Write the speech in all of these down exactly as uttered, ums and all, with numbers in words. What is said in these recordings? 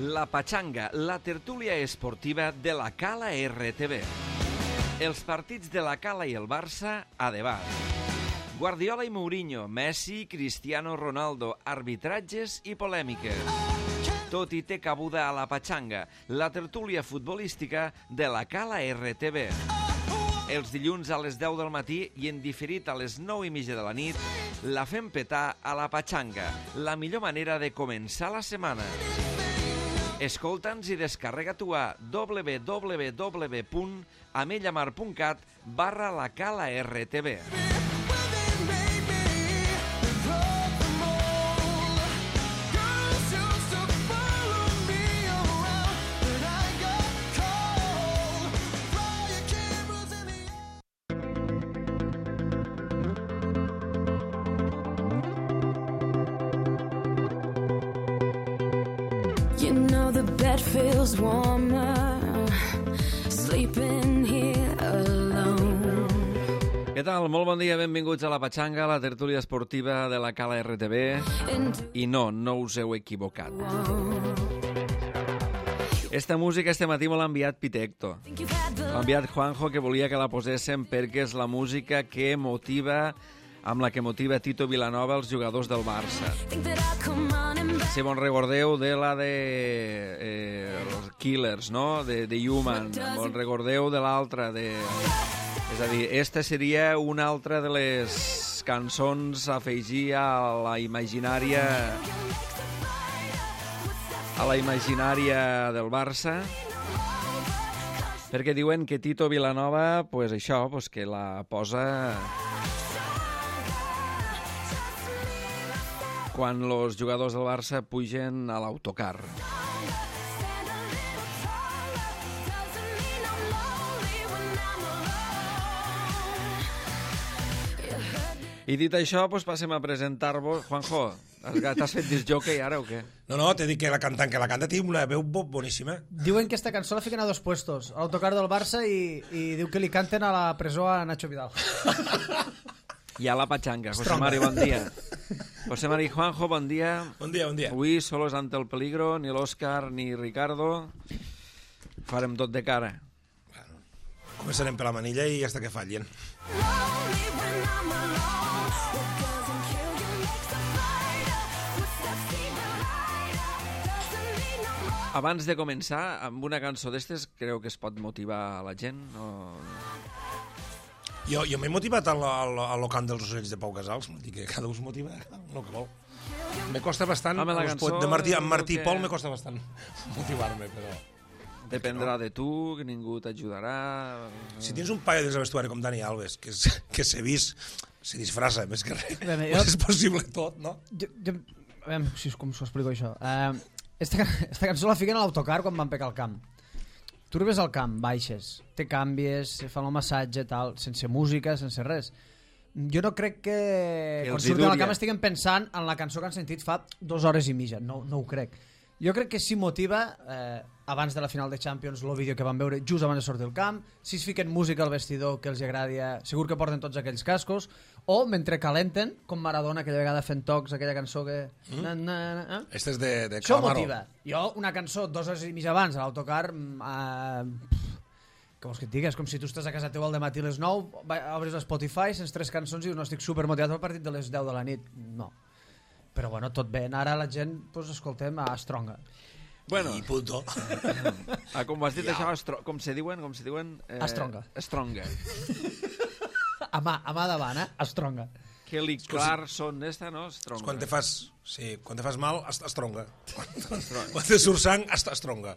La Pachanga, la tertúlia esportiva de la Cala R T V. Els partits de la Cala i el Barça a debat. Guardiola i Mourinho, Messi, Cristiano Ronaldo, arbitratges i polèmiques. Tot hi té cabuda a la Pachanga, la tertúlia futbolística de la Cala R T V. Els dilluns a les deu del matí i en diferit a les nou i mitja de la nit, la fem petar a la Pachanga, la millor manera de començar la setmana. Escolta'ns i descarrega-t'ho a w w w punt amellamar punt cat barra la Cala R T V. Feels warmer sleeping here alone. Què tal? Molt bon dia, benvinguts a la Pachanga, la tertúlia esportiva de la Cala R T V. I no, no us heu equivocat. Esta música este matí me l'ha enviat Pitecto. L'ha enviat Juanjo, que volia que la poséssim perquè és la música que motiva, amb la que motiva Tito Vilanova els jugadors del Barça. Si bon recordeu de la de eh, els Killers, no? De, de Human. Bon recordeu de l'altra de... És a dir, esta seria una altra de les cançons a afegir a la imaginària a la imaginària del Barça, perquè diuen que Tito Vilanova, pues això, pues que la posa quan els jugadors del Barça pugen a l'autocar. I dit això, doncs passem a presentar-vos. Juanjo, t'has fet disjockey ara o què? No, no, t'he dit que la cantant que la canta té una veu boníssima. Diuen que esta cançó la fiquen a dos puestos, a l'autocar del Barça i, i diu que li canten a la presó a Nacho Vidal. I a la Pachanga. José Mari, bon dia. José Mari, Juanjo, bon dia. Bon dia, bon dia. Avui solos ante el peligro, ni l'Òscar ni Ricardo. Farem tot de cara. Bueno, començarem per la manilla i hasta que fallin. Abans de començar, amb una cançó d'estes, creu que es pot motivar la gent? O... Jo, jo m'he motivat a lo, a, lo, a lo cant dels ocells de Pau Casals, vol dir que cada un es motiva el que vol. Me costa bastant, Home, la cançó, de Martí, amb Martí que... Pol me costa bastant motivar-me, però... Dependrà no? de tu, que ningú t'ajudarà... Si tens un paio dins el vestuari com Dani Alves, que, és, que s'ha vist, se disfressa més que res, Bé, jo... és possible tot, no? Jo, jo... A veure, si, com s'ho explico això. Uh, esta, esta cançó la fiquen a l'autocar quan van pegar al camp. Tu arribes al camp, baixes, te canvies, fan el massatge, tal, sense música, sense res. Jo no crec que, que quan surten al camp estiguen pensant en la cançó que han sentit fa dues hores i mitja. No, no ho crec. Jo crec que sí motiva, eh, abans de la final de Champions, el vídeo que van veure just abans de sortir del camp, si es fiquen música al vestidor que els agradi, segur que porten tots aquells cascos, o mentre calenten, com Maradona, aquella vegada fent tocs, aquella cançó que... Mm. Na, na, na, eh? Este és de, de Això Calamaro. motiva. Jo, una cançó dues hores i mitja abans, a l'autocar... Eh, que vols que et digui? És com si tu estàs a casa teu al dematí a les nou, obres Spotify, sents tres cançons i dius, no, estic supermotivat pel partit de les deu de la nit. No. Però bueno, tot bé. Ara la gent, doncs, escoltem a Stronga. Bueno, i punto. Ah, com ho has dit ja. Això, estro... com se diuen? Com se diuen? Eh... Stronga. Stronga. a mà, a mà davant, eh? Stronga. Kelly Clarkson, esta, no? Stronga. Quan te fas, sí, quan te fas mal, Stronga. Quan, quan te surt sang, Stronga.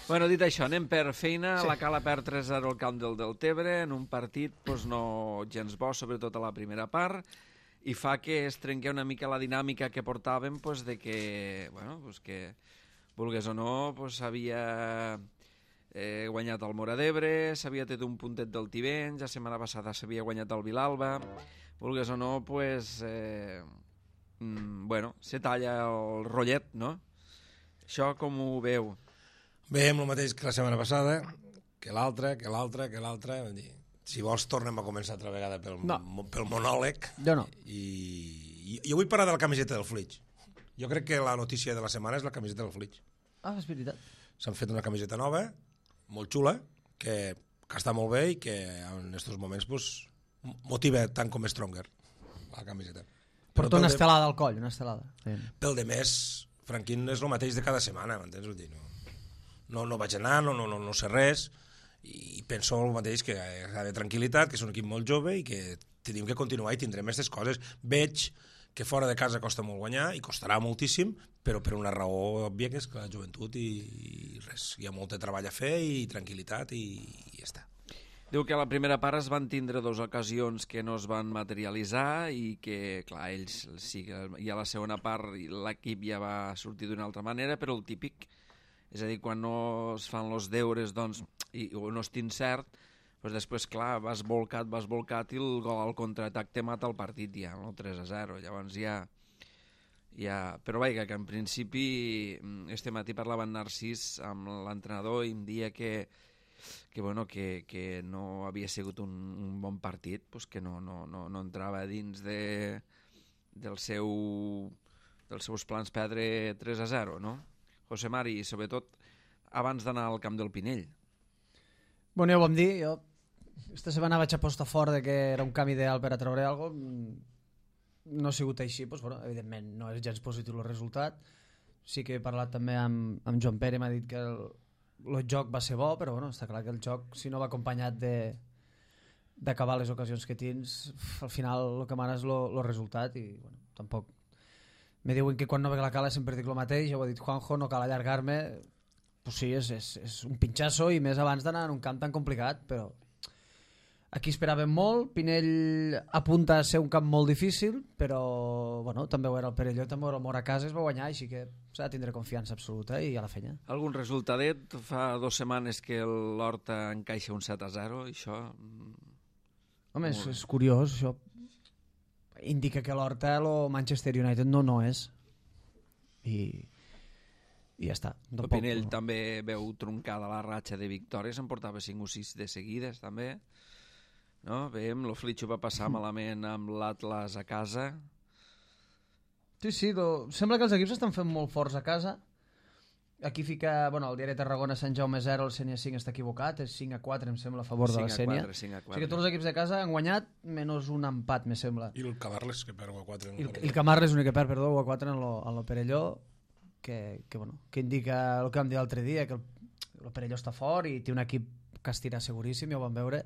Bueno, dit això, anem per feina. Sí. La Cala perd tres a zero al camp del Deltebre, en un partit doncs, no gens bo, sobretot a la primera part, i fa que es trenqui una mica la dinàmica que portàvem doncs, de que, bueno, doncs que vulgués o no, doncs, s'havia eh, guanyat el Móra d'Ebre, s'havia tret un puntet del Tivenys, la setmana passada s'havia guanyat el Vilalba, vulgués o no, doncs, eh, mm, bueno, se talla el rotllet, no? Això com ho veu? Bé, amb el mateix que la setmana passada, que l'altra, que l'altra, que l'altra... Si vols, tornem a començar altra vegada pel, no. pel monòleg. Jo no. I, i jo vull parlar de la camiseta del Flix. Jo crec que la notícia de la setmana és la camiseta del Flix. Ah, és veritat. S'han fet una camiseta nova, molt xula, que, que està molt bé i que en aquests moments pues, motiva tant com Stronger, la camiseta. Porta una estelada al coll, una estelada. Sí. Pel de més, Franquín és el mateix de cada setmana, m'entens? Vull dir, no, no, no vaig anar, no, no, no, no sé res, i penso el mateix, que ha d'haver tranquil·litat, que és un equip molt jove i que tenim que continuar i tindrem aquestes coses. Veig que fora de casa costa molt guanyar i costarà moltíssim, però per una raó òbvia, que és que la joventut i, i res, hi ha molt de treball a fer i tranquil·litat i, i ja està. Diu que a la primera part es van tindre dues ocasions que no es van materialitzar i que, clar, ells sí que i a la segona part l'equip ja va sortir d'una altra manera, però el típic, és a dir, quan no es fan els deures doncs, i, o no es tin cert, doncs després, clar, vas volcat, vas volcat i el gol al contraatac te mata el partit ja, no? tres a zero. Llavors ja... ja... Però vaja, que en principi este matí parlava en Narcís amb l'entrenador i em dia que, que, bueno, que, que no havia sigut un, un bon partit, pues que no, no, no, no entrava dins de, del seu, dels seus plans perdre tres a zero, no? José Mari, sobretot abans d'anar al camp del Pinell. Bueno, ja ho vam dir, jo aquesta setmana vaig apostar fort de que era un camp ideal per a treure alguna cosa. No ha sigut així, doncs, bueno, evidentment no és gens positiu el resultat. Sí que he parlat també amb, amb Joan Pere, m'ha dit que el, el joc va ser bo, però bueno, està clar que el joc, si no va acompanyat de d'acabar les ocasions que tens, al final el que mana és el resultat i bueno, tampoc. Me diuen que quan no veig la cala sempre dic el mateix, ja ho ha dit Juanjo, no cal allargar-me. Pues sí, és, és, és un pinxasso i més abans d'anar en un camp tan complicat, però aquí esperàvem molt. Pinell apunta a ser un camp molt difícil, però bueno, també ho era el Perelló, també ho era el Moracases, va guanyar, així que s'ha de tindre confiança absoluta i a la feina. Algun resultadet? Fa dues setmanes que l'Horta encaixa un set a zero, i això... Home, és, és curiós, això indica que l'Horta el Manchester United no no és. I... i ja està. El Pinell no. També veu truncada la ratxa de victòries, en portava cinc o sis de seguides també, no? Veiem, el Flitxo va passar malament amb l'Atlas a casa. Sí, sí, lo... sembla que els equips estan fent molt forts a casa. Aquí fica, bueno, el diari Tarragona Sant Jaume zero, el Sénia cinc està equivocat, és cinc a quatre, em sembla, a favor de la Sénia. O sigui que tots els equips de casa han guanyat menys un empat, me sembla. I el Camarles, que perd u a quatre. I el, el Camarles l'únic que perd, perdó, u a quatre en lo, en lo Perelló, que, que, bueno, que indica el que vam dir l'altre dia, que el, el Perelló està fort i té un equip que es tira seguríssim, ja ho vam veure,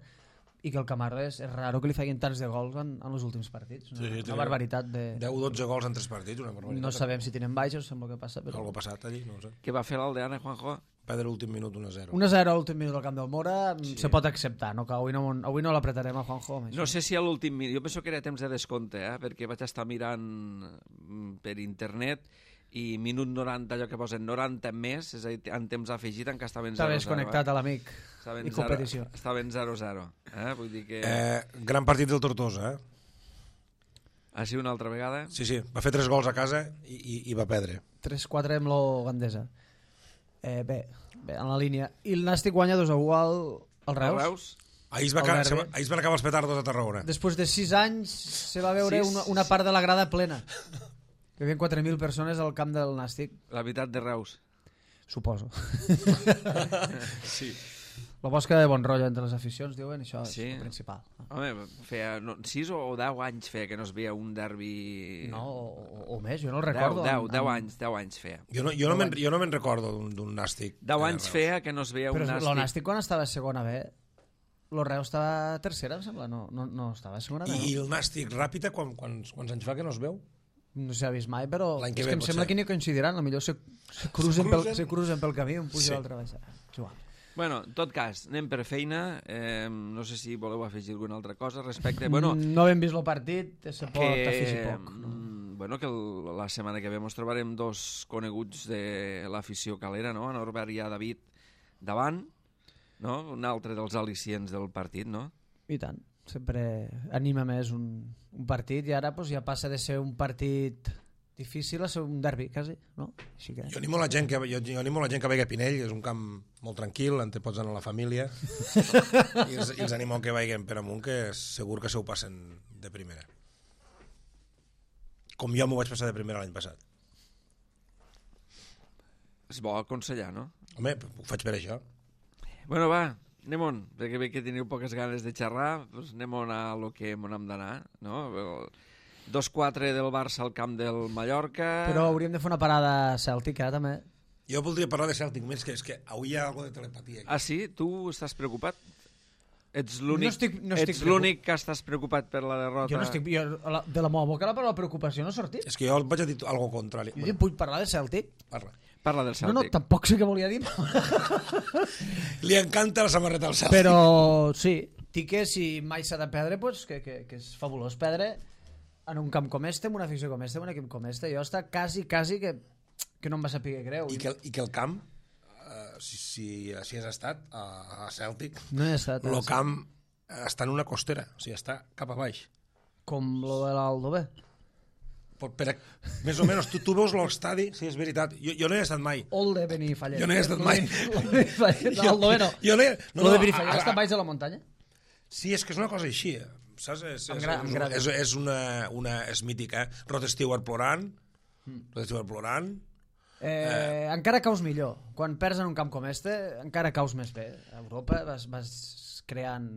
i que el Camarles és raro que li facin tants de gols en, en els últims partits. Una, sí, una barbaritat de... deu o dotze gols en tres partits, una barbaritat. No sabem si tenen baixos, sembla que passa, però... Algo passat allí, no ho sé. Què va fer l'Aldeana, Juanjo? Perdre l'últim minut un a zero. un a zero a l'últim minut al camp del Mora, sí. Se pot acceptar, no? Que avui no, avui no l'apretarem a Juanjo. No sé si a l'últim minut, jo penso que era temps de descompte, eh? Perquè vaig estar mirant per internet i minut noranta, allò que posen noranta més, és a dir, en temps afegit encara estaven zero a zero. Estaves connectat a l'amic i competició. Estaven zero a zero. Eh? Vull dir que... Eh, gran partit del Tortosa, eh? Ah, sí, una altra vegada? Sí, sí, va fer tres gols a casa i, i, i va perdre. tres quatre amb lo Gandesa. Eh, bé, bé, en la línia. I el Nàstic guanya dos a u al, al Reus. El Reus? Ahir es, va acabar, se va, ahir es van acabar els petardos a Tarragona. Després de sis anys se va veure sis, una, una part de la grada plena. Que hi havia quatre mil persones al camp del Nàstic. La veritat de Reus. Suposo. Sí. La bosca de bon rotllo entre les aficions, diuen, això sí. És el principal. Home, feia no, sis o deu anys feia que no es veia un derbi... No, o, o més, jo no el recordo. Deu, deu, deu anys, deu anys feia. Jo no, jo no me'n jo no me'n recordo d'un Nàstic. Deu anys feia que no es veia Però un Nàstic. Però el Nàstic quan estava a segona B, el Reus estava a tercera, em sembla, no, no, no estava a segona B. I el Nàstic Ràpita, quan, quants, quants anys fa que no es veu? No s'ha vist mai, però és que, que em sembla ser. Que ni coincidiran, potser se, se, cruzen, pel, se cruzen pel camí, un puja sí. L'altre baix. Igual. Bueno, en tot cas, anem per feina. Eh, no sé si voleu afegir alguna altra cosa respecte... Bueno, no hem vist el partit, se pot que, afegir poc. No? Bueno, que el, la setmana que ve ens trobarem dos coneguts de l'afició calera, no? Norbert i David davant, no? Un altre dels al·licients del partit, no? I tant. Sempre anima més un, un partit i ara pues, ja passa de ser un partit difícil a ser un derbi, quasi, no? Així que... Jo animo la gent que, jo, jo animo la gent que vegi a Pinell, és un camp molt tranquil, on te pots anar a la família, i els, i els animo que vagin per amunt, que segur que se ho passen de primera. Com jo m'ho vaig passar de primera l'any passat. És bo aconsellar, no? Home, ho faig per això. Bueno, va, anem-on, perquè bé que teniu poques ganes de xerrar, doncs anem-on a lo que on hem d'anar, no? dos quatre del Barça al camp del Mallorca... Però hauríem de fer una parada cèltic, eh, també. Jo voldria parlar de Celtic, més que és que avui hi ha alguna de telepatia. Aquí. Ah, sí? Tu estàs preocupat? Ets l'únic No estic- no estic ets l'únic que estàs preocupat per la derrota? Jo no estic... Jo, la, de la meva boca la paraula preocupació no ha sortit. És que jo vaig a dir algo contrari. Jo dic, vull parlar de Celtic? Parla. Parla del No, no, Celtic. tampoc sé què volia dir. Li encanta la samarreta al Celtic. Però sí, dic que si mai s'ha de perdre, pues, que, que, que és fabulós perdre en un camp com este, en una afició com este, en un equip com este. Jo està quasi, quasi que, que no em va saber greu. I que, I que el camp, uh, si, si, si has estat a, a Celtic, No he estat. el eh, camp està en una costera, o sigui, està cap a baix. Com lo de l'Aldo B. Per, per, més o menys, tu, tu veus l'estadi, sí, és veritat. Jo, jo no he estat mai. Olde Benifallet. Jo no hi he estat mai. L'Aldo B no. Jo no, he, no, Lo de no, Benifallet a- està a- baix de la muntanya? Sí, és que és una cosa així, eh? Saps? És, Em és, gra- em és, agrada. és, és una, una... És mítica, eh? Rod Stewart plorant, Mm. Rod Stewart plorant... Eh, eh. Encara caus millor. Quan perds en un camp com este, encara caus més bé. A Europa vas, vas creant...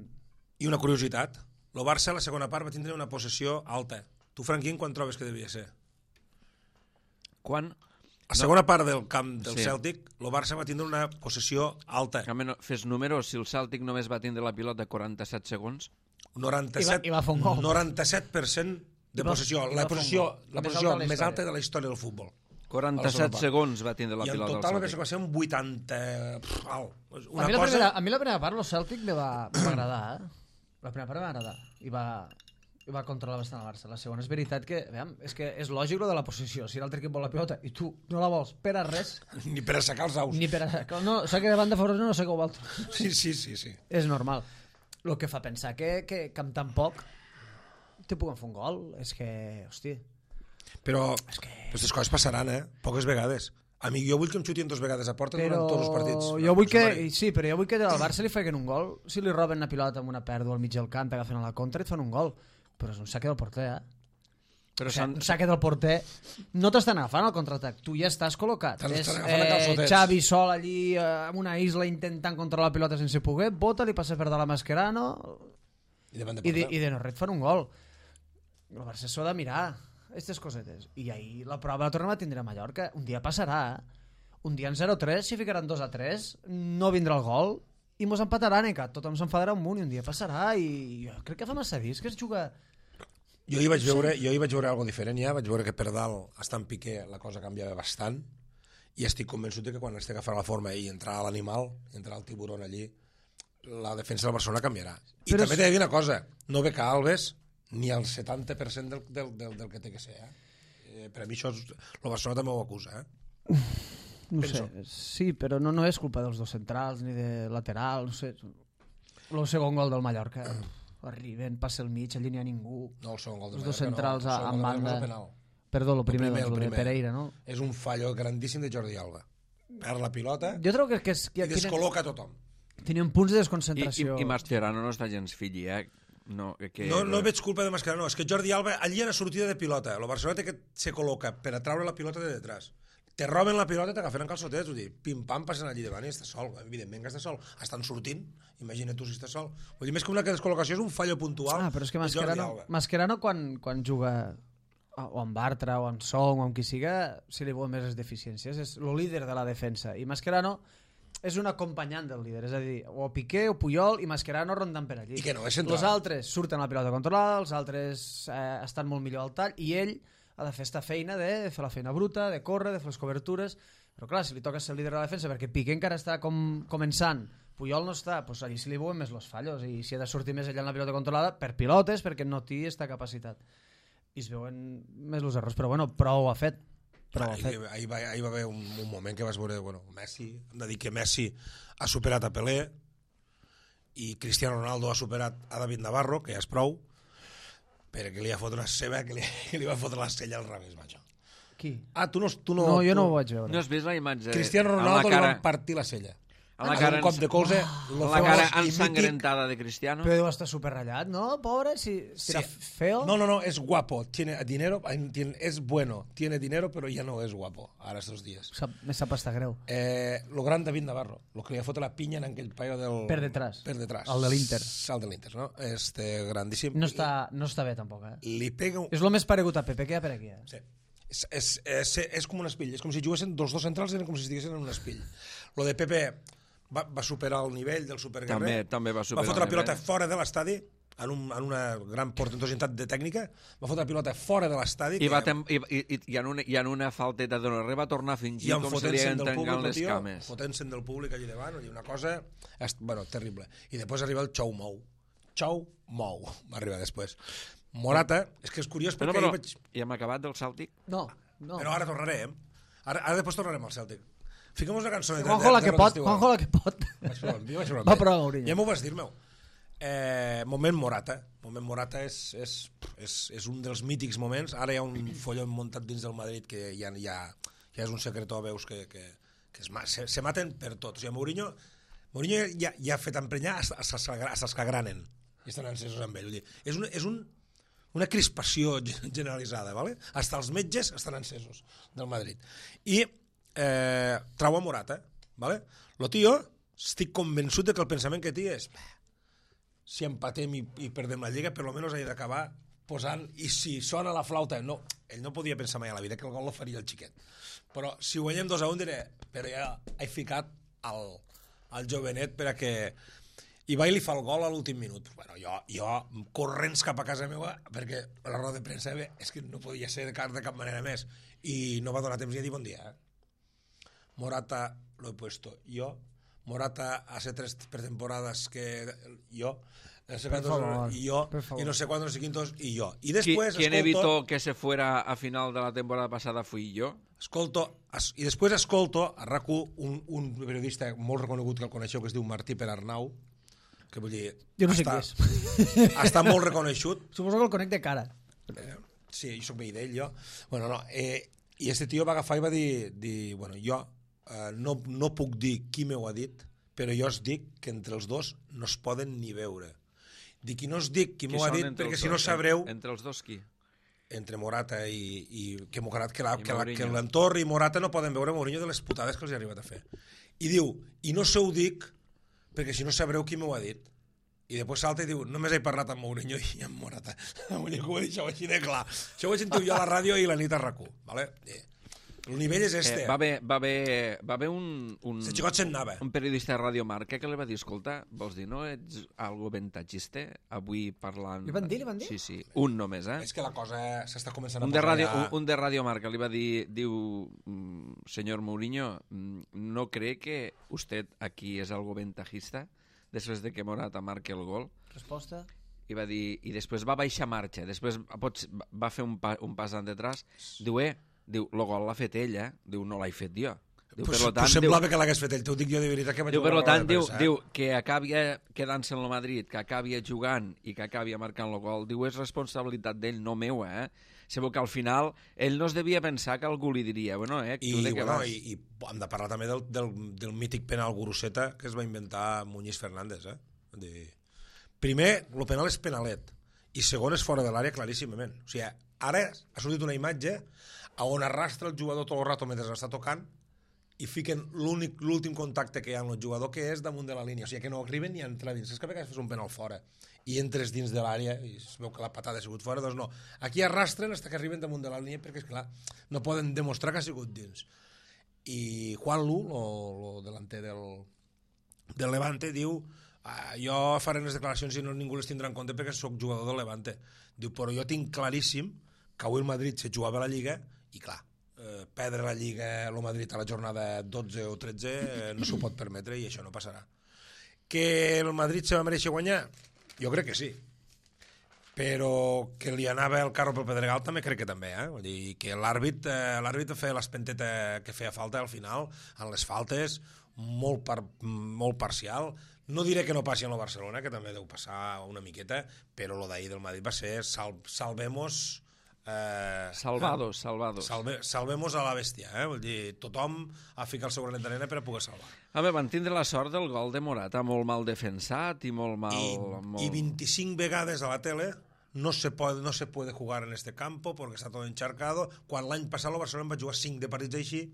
I una curiositat, el Barça a la segona part va tindre una possessió alta. Tu, Franquín, quan trobes que devia ser? Quan? A la segona part del camp del Sí. Celtic, el Barça va tindre una possessió alta. Home, no, fes números, si el Celtic només va tindre la pilota quaranta-set segons... noranta-set, I va- i va fer un gol. noranta-set per cent de I va- possessió. i va La fer un possessió, gol. la Més possessió alta de la més història. alta de la història del futbol. quaranta-set part. segons va tindre la I en pilota total del va ser, Celtic. va ser un vuitanta... Pff, alt. Una a, mi la cosa... primera, a mi la primera part, el Celtic me va, me va agradar. Eh? La primera part em va agradar. I va, i va controlar bastant el Barça. La segona és veritat que, veiem, és que és lògic lo de la possessió. Si l'altre equip vol la pilota i tu no la vols per a res, Ni per assecar els aus. ni per a... No, sé que davant de fora no sé que ho vol. Sí, sí, sí, sí. És normal. El que fa pensar que, que, que amb tan poc te puguen fer un gol. És que, hosti... Però És que... aquestes coses passaran, eh? Poques vegades. A mi, jo vull que em xutin dos vegades a porta Però durant tots els partits. jo vull que, Mare. sí, però jo vull que al Barça li facin un gol. Si li roben una pilota amb una pèrdua al mig del camp, agafen a la contra i et fan un gol. Però és un saque del porter, eh? Però O sigui, s'han- un saque del porter no t'estan agafant al contraatac, tu ja estàs col·locat. T'estan És, agafant a calçotets. Xavi sol allí eh, en una isla intentant controlar la pilota sense poder, bota, li passa per dalt a Mascherano I davant de i de, porta. i de no res et fan un gol. El Barça s'ho ha de mirar, aquestes cosetes. I ahir la prova la tornem a tindre a Mallorca. Un dia passarà, eh? Un dia en zero tres, si ficaran dos a tres, no vindrà el gol i mos empataran, i que tothom s'enfadarà un munt i un dia passarà i jo crec que fa massa dies que es juga... Jo hi vaig veure, jo hi vaig veure algo diferent ja, vaig veure que per dalt, estant Piqué, la cosa canviava bastant i estic convençut de que quan estigui agafant la forma i entrar a l'animal, entrar el tiburon allí, la defensa del Barcelona canviarà. I Però també és- t'he de dir una cosa, no ve que Alves ni el setanta per cent del, del, del, del que té que ser. Eh? Eh, per a mi això, és, el Barcelona també ho acusa. Eh? No Penso. sé, sí, però no, no és culpa dels dos centrals ni de lateral, no sé. El segon gol del Mallorca, arriben, passa el mig, allí n'hi ha ningú. No, el segon gol de Els dos Mallorca, centrals no, el a- segon en gol de Mallorca banda. és penal. Perdó, el primer, primer, doncs, el el de primer. Pereira, no? És un fallo grandíssim de Jordi Alba. Perd la pilota Jo trobo que, que, és, que i descol·loca tothom. tenien punts de I, i, desconcentració. i Mascherano no està gens filli, eh? No, que, No, no veig culpa de Mascherano, no. És que Jordi Alba allí era sortida de pilota. El Barcelona té que se col·loca per a treure la pilota de detrás. Te roben la pilota i t'agafen en calçotets, vull dir, pim-pam, passen allí davant i està sol. Evidentment que està sol. Estan sortint, imagina't tu si està sol. Vull dir, més que una descol·locació és un fallo puntual Ah, però és que de Jordi Mascherano, Alba. Mascherano quan, quan juga o amb Bartra o amb Song o amb qui siga, si li veuen més les deficiències. És el líder de la defensa. I Mascherano és un acompanyant del líder. És a dir, o Piqué o Puyol i Mascherano rondant per allí. I que no és central. Els altres surten a la pilota controlada, els altres eh, estan molt millor al tall i ell ha de fer esta feina de fer la feina bruta, de córrer, de fer les cobertures, però clar, si li toca ser el líder de la defensa perquè Piqué encara està com, començant, Puyol no està, doncs allí se li veuen més els fallos i si ha de sortir més ella en la pilota controlada per pilotes perquè no té aquesta capacitat i es veuen més els errors, però bueno, prou ha fet prou ha Ahir, fet. ahir, va, ahir va haver un, un moment que vas veure, bueno, Messi, hem de dir que Messi ha superat a Pelé i Cristiano Ronaldo ha superat a David Navarro, que ja és prou, però que li ha fotre una ceba, que li, que li va fotre la sella al revés, macho. Qui? Ah, tu no... Tu no, No, jo tu... no ho vaig veure. No has vist la imatge? Cristiano amb Ronaldo la li cara, van partir la cella. A la amb cara un cop ens- de colze, lo La cara famós i mític. ensangrentada de Cristiano. Però deu estar superratllat, no? Pobre, si, si era feo. No, no, no, es guapo, tiene dinero, tiene, es bueno, tiene dinero, pero ya no es guapo, ara estos días. Sap, me sap estar greu. Eh, lo gran David Navarro, lo que li ha fotut la pinya en aquell paio del... Per detrás. Per detrás. El de l'Inter. El de l'Inter, no? Este grandíssim. No està, no està bé, tampoc, eh? Li pega un... És el més paregut a Pepe que hi ha per aquí, eh? Sí. És, és, és, és com un espill, és com si juguessin dos dos centrals, eren com si estiguessin en un espill. Lo de Pepe va, va superar el nivell del superguerrer. També, també va superar Va fotre la el pilota nivell. fora de l'estadi, en, un, en una gran portentositat de tècnica, va fotre la pilota fora de l'estadi. I, va tem i, i, i, en una, i en una falteta de l'Herrer va tornar a fingir i com se li fotent-se'n del entengant públic, les tio, cames. fotent-se'n del públic allà davant, i una cosa, est, bueno, terrible. I després arriba el Chou Mou. Chou Mou, va arribar després. Morata, és que és curiós Però, perquè... però, ahir vaig... i hem acabat del Cèltic? No, no. Però ara tornarem. Ara, ara després tornarem al Cèltic. Fiquem una cançó de... Juanjo la que pot, Juanjo la que pot. Vaig provar, jo vaig provar. Va provar Mourinho. Ja m'ho vas dir, meu. Eh, moment Morata. Moment Morata és, és, és, és un dels mítics moments. Ara hi ha un folló muntat dins del Madrid que ja, ja, ja és un secretó, veus, que, que, que es, se, se maten per tot. O sigui, Mourinho, Mourinho ja, ja ha fet emprenyar a els que granen. I estan encesos amb ell. És, un, és un, una crispació generalitzada, ¿vale? Hasta els metges estan encesos del Madrid. I eh, trau a Morata, ¿vale? Lo tio, estic convençut de que el pensament que té és si empatem i, i perdem la Lliga, per lo menos he d'acabar posant, i si sona la flauta, no, ell no podia pensar mai a la vida que el gol lo faria el xiquet. Però si guanyem dos a un diré, però ja he ficat el, el jovenet per a que... I va i li fa el gol a l'últim minut. Bueno, jo, jo corrents cap a casa meva, perquè la roda de premsa bé, és que no podia ser de cap, de cap manera més. I no va donar temps ni a dir bon dia. Eh? Morata lo he puesto yo. Morata hace tres pretemporadas que yo. No sé cuántos, favor, y yo. Y no sé cuántos, no sé quintos, y yo. Y después... ¿Quién escolto, evitó que se fuera a final de la temporada pasada fui yo? Escolto, es, i després escolto a RAC u un, un periodista molt reconegut que el coneixeu, que es diu Martí Perarnau, que vull dir... Jo no sé està, qui és. Està molt reconegut. Suposo que el conec de cara. Eh, sí, jo soc veí d'ell, jo. Bueno, no, eh, i este tio va agafar i va dir, dir bueno, jo eh, no, no puc dir qui m'ho ha dit, però jo us dic que entre els dos no es poden ni veure. Dic, i no us dic qui m'ho ha dit, perquè si no sabreu... Entre els dos qui? Entre Morata i, i que, que, la, I que, la, Mourinho. que l'entorn i Morata no poden veure Mourinho de les putades que els ha arribat a fer. I diu, i no se ho dic perquè si no sabreu qui m'ho ha dit. I després salta i diu, només he parlat amb Mourinho i amb Morata. Vull dir que ho he dit això així de clar. Això ho he sentit jo a la ràdio i la nit a RAC u. Vale? Eh, el nivell és este. Eh, va haver, va haver, va haver un, un, Se xicot se'n anava. un periodista de Radio Marca que li va dir, escolta, vols dir, no ets algo ventatgista avui parlant... Li van dir, li van dir? Sí, sí, un només, eh? És que la cosa s'està començant a Un de, posar radio, ja... un, un de Radio Marca li va dir, diu, mm, señor Mourinho, mm, ¿no cree que usted aquí es algo ventajista després de que Morata marque el gol? Resposta? I va dir, i després va baixar marxa, després pots, va fer un, pa, un pas endetrás, diu, eh, diu, el gol l'ha fet ell, eh? Diu, no l'he fet jo. Diu, Pues, per lo tant, pues semblava diu, que l'hagués fet ell, t'ho dic jo de veritat que vaig diu, veure per lo la roda tant, de diu, premsa, eh? diu, que acabi quedant-se en el Madrid, que acabi jugant i que acabi marcant el gol, diu, és responsabilitat d'ell, no meua, eh? Sabeu que al final ell no es devia pensar que algú li diria, bueno, eh, I, tu de què bueno, vas? i, i hem de parlar també del, del, del mític penal Guruseta que es va inventar Muñiz Fernández, eh? De... Primer, el penal és penalet, i segon és fora de l'àrea claríssimament. O sigui, ara ha sortit una imatge on arrastra el jugador tot el rato mentre està tocant i fiquen l'últim contacte que hi ha amb el jugador, que és damunt de la línia. O sigui, que no arriben ni a entrar dins. És que a vegades fes un penal fora i entres dins de l'àrea i es veu que la patada ha sigut fora, doncs no. Aquí arrastren fins que arriben damunt de la línia perquè, esclar, no poden demostrar que ha sigut dins. I Juan Lu, el delanter del, del Levante, diu ah, jo faré les declaracions i no, ningú les tindrà en compte perquè sóc jugador del Levante. Diu, però jo tinc claríssim que avui el Madrid se jugava a la Lliga i clar, eh, perdre la Lliga el Madrid a la jornada dotze o tretze eh, no s'ho pot permetre i això no passarà. Que el Madrid se va mereixer guanyar? Jo crec que sí. Però que li anava el carro pel Pedregal també crec que també, eh? Vull dir que l'àrbit eh, l'àrbit feia l'espenteta que feia falta al final, en les faltes, molt, par, molt parcial. No diré que no passi en el Barcelona, que també deu passar una miqueta, però lo d'ahir del Madrid va ser sal, salvemos Eh, Salvados, salvados. Salve, salvemos a la bèstia, eh? Vull dir, tothom ha ficat el seu granet d'arena per a poder salvar. Home, van tindre la sort del gol de Morata, molt mal defensat i molt mal... I, molt... y veinticinc vegades a la tele no se, puede, no se puede jugar en este campo porque está todo encharcado, quan l'any passat el Barcelona va jugar cinc de partits així.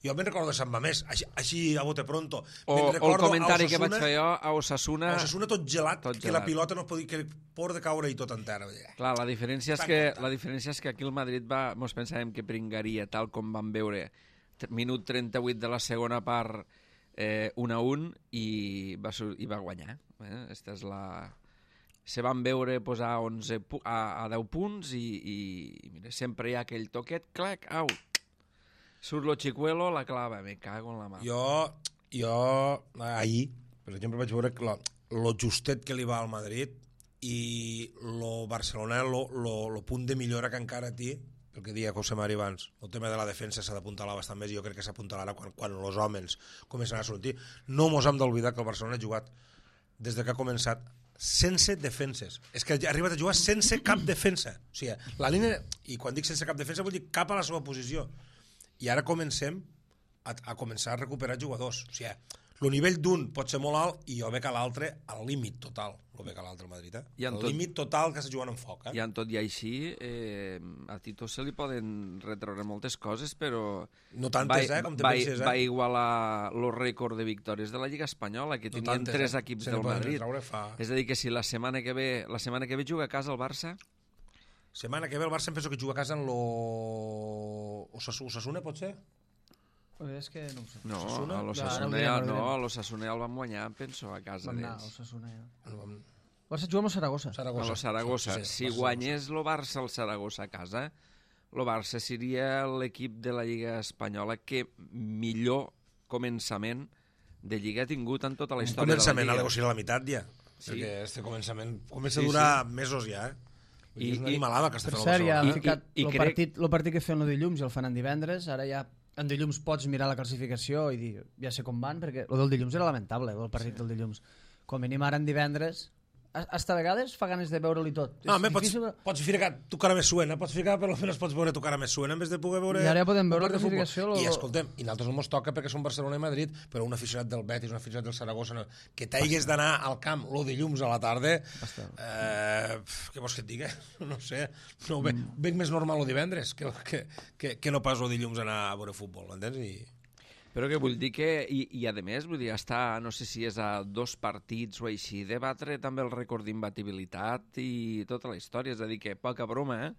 Jo me'n recordo de Sant Mamés, així, així a bote pronto. O, o el comentari que vaig fer jo a Osasuna... A Osasuna tot gelat, tot que gelat. La pilota no podia, que por de caure i tot en terra. Clar, la diferència, és que, la diferència és que aquí el Madrid va, mos pensàvem que pringaria, tal com vam veure, minut trenta-vuit de la segona part, eh, un a un, i va, i va guanyar. Eh? Esta és la... Se van veure posar onze a, a deu punts i, i mira, sempre hi ha aquell toquet, clac, au, surt lo Chicuelo, la clava, me cago en la mà. Jo, jo ahir, per exemple, vaig veure lo, lo justet que li va al Madrid i lo Barcelona, lo, lo, lo punt de millora que encara té, el que deia José Mari abans, el tema de la defensa s'ha d'apuntalar bastant més i jo crec que s'apuntalarà quan, quan els homes comencen a sortir. No mos hem d'oblidar que el Barcelona ha jugat des de que ha començat sense defenses. És que ha arribat a jugar sense cap defensa. O sigui, la línia... I quan dic sense cap defensa vol dir cap a la seva posició. I ara comencem a, a començar a recuperar jugadors. O sigui, el nivell d'un pot ser molt alt i jo veig a l'altre al límit total. Lo veig a l'altre al Madrid, eh? El tot, límit total que està jugant en foc, eh? I en tot i així, eh, a Tito se li poden retreure moltes coses, però... No tantes, va, eh? Com te va, penses, eh? Va igualar el rècord de victòries de la Lliga Espanyola, que no tenien tantes, tres eh? equips se del Madrid. Fa... És a dir, que si la setmana que ve, la setmana que ve juga a casa el Barça... Setmana que ve el Barça em penso que juga a casa en lo... Osasuna, pot ser? És que no ho sé. No, Osasuna? a l'Osasuna Ja, no, no, a l'Osasuna el van guanyar, penso, a casa Vam anar a d'ells. Osasuna, ja. No, Barça juga amb el Saragossa. Saragossa. A lo Saragossa. Sí, sí, si Barça, guanyés el Barça el Saragossa a casa, el Barça seria l'equip de la Lliga Espanyola que millor començament de Lliga ha tingut en tota la un història començament, de la a Lliga. l'egoci a la meitat ja. Sí. Perquè este començament comença a Sí, durar sí. mesos ja, eh? I, I- és una i- animalada que està Per fent el cert, ja Barcelona. han I- ficat i el crec- partit, el partit que feien el dilluns i el faran divendres, ara ja en dilluns pots mirar la classificació i dir, ja sé com van, perquè el del dilluns era lamentable, el partit sí. del dilluns. Com a mínim ara en divendres, hasta a vegades fa ganes de veure-li tot. No, És home, pots, difícil... pots ficar tu cara més suena, pots ficar, per almenys pots veure tu cara més suena en vez de poder veure... I ara ja podem un veure partit de la futbol. classificació, lo- I escoltem, i nosaltres no mos toca perquè som Barcelona i Madrid, però un aficionat del Betis, un aficionat del Saragossa, no, que t'hagués d'anar al camp lo dilluns a la tarda, eh, què vols que et digui? No sé, no, ve, Mm. veig més normal el divendres que, que, que, que no pas el dilluns anar a veure futbol, entens? I... Però que vull dir que, i, i a més, vull dir, està, no sé si és a dos partits o així, debatre també el rècord d'imbatibilitat i tota la història, és a dir, que poca broma, eh?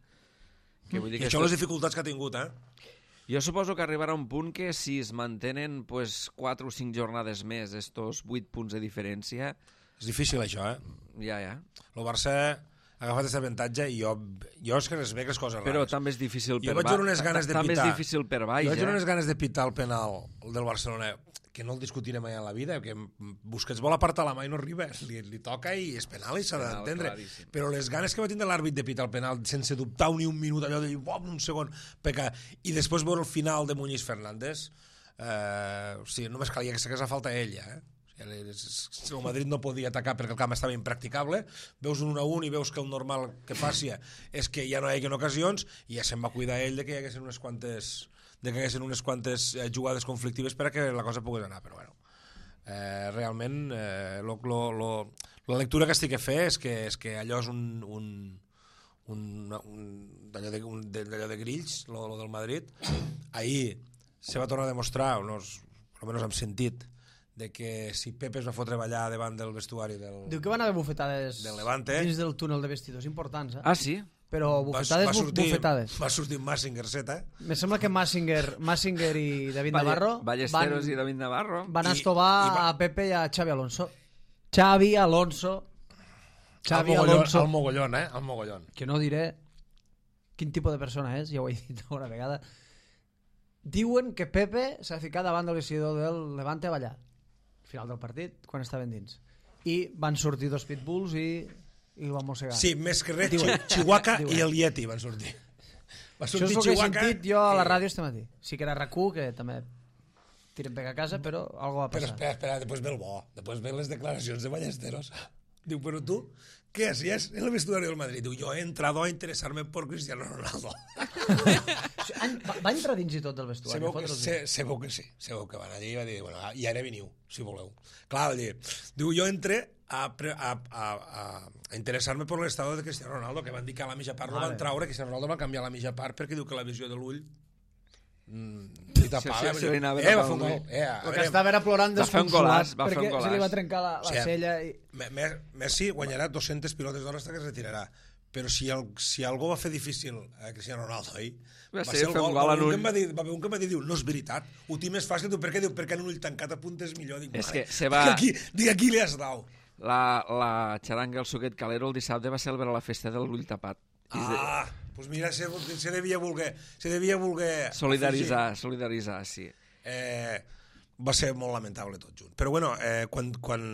Que vull dir I que això esto... les dificultats que ha tingut, eh? Jo suposo que arribarà un punt que si es mantenen pues, quatre o cinc jornades més, estos vuit punts de diferència, És difícil això, eh? ja, ja. El Barça ha agafat aquest avantatge i jo, jo és que es veig les coses rares. Però també és difícil Jo per vaig baix. veure unes ganes de També és pitar. difícil per baix, Jo vaig veure eh? unes ganes de pitar el penal del Barcelona, que no el discutirem mai en la vida, que Busquets vol apartar la mà i no arriba, li, li toca i és penal i s'ha Penal, d'entendre. claríssim. Però les ganes que va tindre l'àrbit de pitar el penal sense dubtar ni un minut, allò de dir, bom, un segon, peca, i després veure el final de Muñiz Fernández, eh, o sigui, només calia que s'hagués a falta ell, ja, eh? El Madrid no podia atacar perquè el camp estava impracticable, veus un un a un i veus que el normal que passi és que ja no hi ha ocasions i ja se'n va cuidar ell de que hi haguessin unes quantes de que hi haguessin unes quantes eh, jugades conflictives per a que la cosa pogués anar, però bueno eh, realment eh, lo, lo, lo, la lectura que estic a fer és que, és que allò és un, un, un, un, d'allò, de, un d'allò de grills, lo, lo del Madrid. Ahir se va tornar a demostrar, unos, almenys hem sentit, de que si Pepe es va fotre ballar davant del vestuari del... Diu que van haver bufetades Del Levante. dins del túnel de vestidors importants, eh? Ah, sí? Però bufetades, va, va sortir, bufetades. Va sortir Massinger set, eh? Me sembla que Massinger, Massinger i David Valle- Navarro Ballesteros van, i David Navarro. van I- estovar i va- a Pepe i a Xavi Alonso. Xavi Alonso. Xavi al mogollón, Alonso. al mogollón, eh? Al mogollón. Que no diré quin tipus de persona és, ja ho he dit una vegada. Diuen que Pepe s'ha ficat davant del vestidor del Levante a ballar. Final del partit, quan estaven dins. I van sortir dos pitbulls i, i el van mossegar. Sí, més que res, Diuen. Chihuahua Diuen. i el Yeti van sortir. Va Això sortir és el que he Chihuahua sentit jo a la i- ràdio este matí. Sí que era R A C U, que també tiren pega a casa, però algo va Però passar. espera, espera, després ve el bo. Després ve les declaracions de Ballesteros. Diu, però tu, què hacías en el vestuario del Madrid? Diu, jo he entrado a interesarme por Cristiano Ronaldo. Va, va entrar dins i tot del vestuari? Sabeu que, sé, sabeu que sí. Sabeu que van allà i va dir, bueno, i ara veniu, si voleu. Clar, va dir, diu, jo entré a, a, a, a, a interessar-me per l'estado de Cristiano Ronaldo, que van dir que a la mitja part vale. No van traure, que Cristiano Ronaldo va canviar a la mitja part perquè diu que la visió de l'ull mm, li tapava. Sí, sí, sí, eh, va fer un gol. Eh, el que estava era plorant desconsolat perquè un se li va trencar la, la o sigui, cella. I... Messi guanyarà dues-centes pilotes d'or fins que es retirarà. Però si, el, si algú va fer difícil a Cristiano Ronaldo ahir, va, va ser el gol. Va haver un que em va dir, diu, no és veritat, ho tinc més fàcil. Diu, per què? Diu, perquè en un ull tancat apuntes millor. Dic, és que se va... Dic, aquí, aquí li has dau. La, la xaranga, el suquet calero, el dissabte va celebrar la festa del ull tapat. Ah, doncs pues mira, se, se devia voler... Se devia voler solidaritzar, afegir. solidaritzar, sí. Eh, va ser molt lamentable tot junt. Però bueno, eh, quan... quan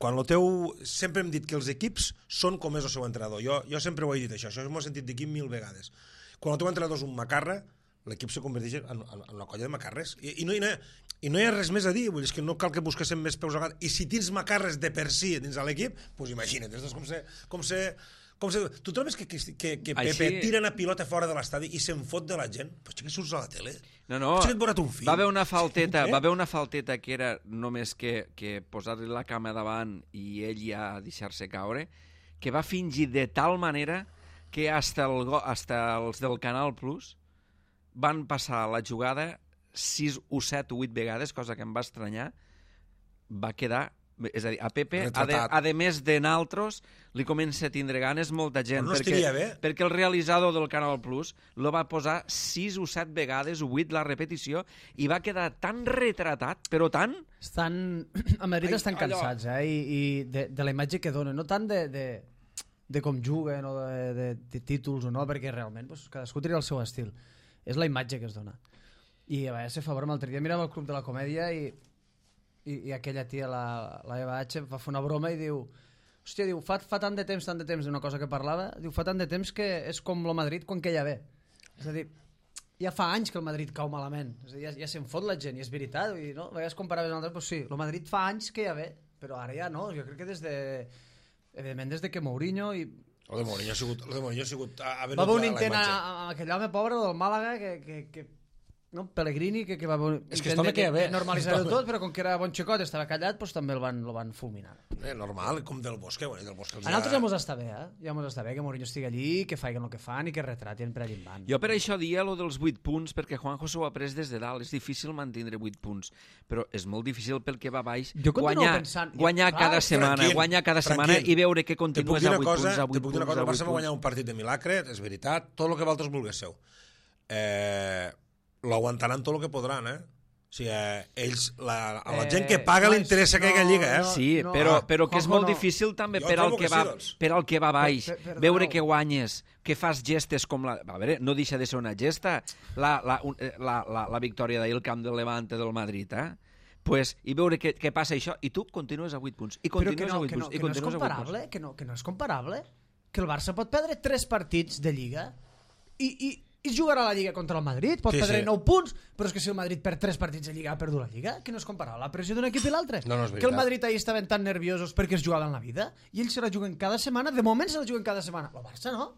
Quan el teu... Sempre hem dit que els equips són com és el seu entrenador. Jo, jo sempre ho he dit, això. Això m'ho he sentit d'aquí mil vegades. Quan el teu entrenador és un macarra, l'equip se converteix en, en, en una colla de macarres. I, i, no, i, no, I no hi ha res més a dir. Vull dir, és que no cal que busquéssim més peus a gat. I si tens macarres de per si dins de l'equip, doncs imagina't. És com se... Com se com se... Tu trobes que, que, que, que Pepe Així... tira una pilota fora de l'estadi i se'n fot de la gent? Però que surts a la tele? No, no, va haver una falteta, va haver una falteta que era només que, que posar-li la cama davant i ell ja deixar-se caure, que va fingir de tal manera que hasta, el, hasta els del Canal Plus van passar la jugada sis o set o vuit vegades, cosa que em va estranyar, va quedar... És a dir, a Pepe, a, de, a de més de naltros, li comença a tindre ganes molta gent, no perquè, perquè el realitzador del Canal Plus lo va posar sis o set vegades, o vuit la repetició, i va quedar tan retratat, però tant... Estan, a Madrid ai, estan cansats, eh? I, i de, de la imatge que donen, no tant de, de, de com juguen o de, de, de títols o no, perquè realment pues, cadascú tria el seu estil. És la imatge que es dona. I a veure, se favor, l'altre dia mirava el Club de la Comèdia i I, i aquella tia, la, la Eva H, va fer una broma i diu, hòstia, diu, fa, fa tant de temps, tant de temps, d'una cosa que parlava, diu, fa tant de temps que és com el Madrid quan queia bé. És a dir, ja fa anys que el Madrid cau malament, és a dir, ja, ja se'n fot la gent, i és veritat, i no? A vegades comparaves amb l'altre, doncs sí, el Madrid fa anys que ja bé, però ara ja no, jo crec que des de, evidentment des de que Mourinho i... El de Mourinho ha sigut... El de Mourinho ha sigut... Ha va haver un intent amb aquell home pobre del Màlaga que... que, que no? Pellegrini, que, que va és que de, de, de normalitzar-ho tot, però com que era bon xicot i estava callat, doncs també el van, el van fulminar. Eh, normal, com del Bosque. Bueno, del Bosque a nosaltres ja mos està bé, eh? Ja mos està bé que Mourinho estigui allí, que faiguen el que fan i que retratin per allà en van. Jo per això dia lo dels vuit punts, perquè Juanjo s'ho ha pres des de dalt. És difícil mantenir vuit punts, però és molt difícil pel que va baix guanyar, pensant, guanyar ja, cada clar, setmana, Franquín, guanyar cada setmana Franquín, i veure que continues a vuit cosa, punts, a vuit punts, a vuit punts. El Barça va guanyar un partit de milagre, és veritat, tot el que vosaltres vulguéssiu. Eh... l'aguantaran tot el que podran, eh? O sigui, eh, ells, la, a la eh, gent que paga no, li interessa no, que hagi lliga, eh? Sí, no, però, però que és molt no. difícil també per al que, que, va, sí, per al que va baix, per, per, veure que guanyes, que fas gestes com la... A veure, no deixa de ser una gesta la, la, la, la, la victòria d'ahir al camp del Levante del Madrid, eh? Pues, i veure què, què passa això, i tu continues a vuit punts, i continues no, a vuit punts, no, i continues no a vuit punts. Que no, que no és comparable, que el Barça pot perdre tres partits de Lliga i... i i jugarà a la Lliga contra el Madrid, pot sí, perdre sí. nou punts, però és que si el Madrid per tres partits de Lliga ha perdut la Lliga, que no és comparable la pressió d'un equip i l'altre. No, no que el Madrid ahir estaven tan nerviosos perquè es jugaven la vida, i ells se la juguen cada setmana, de moment se la juguen cada setmana. El Barça no.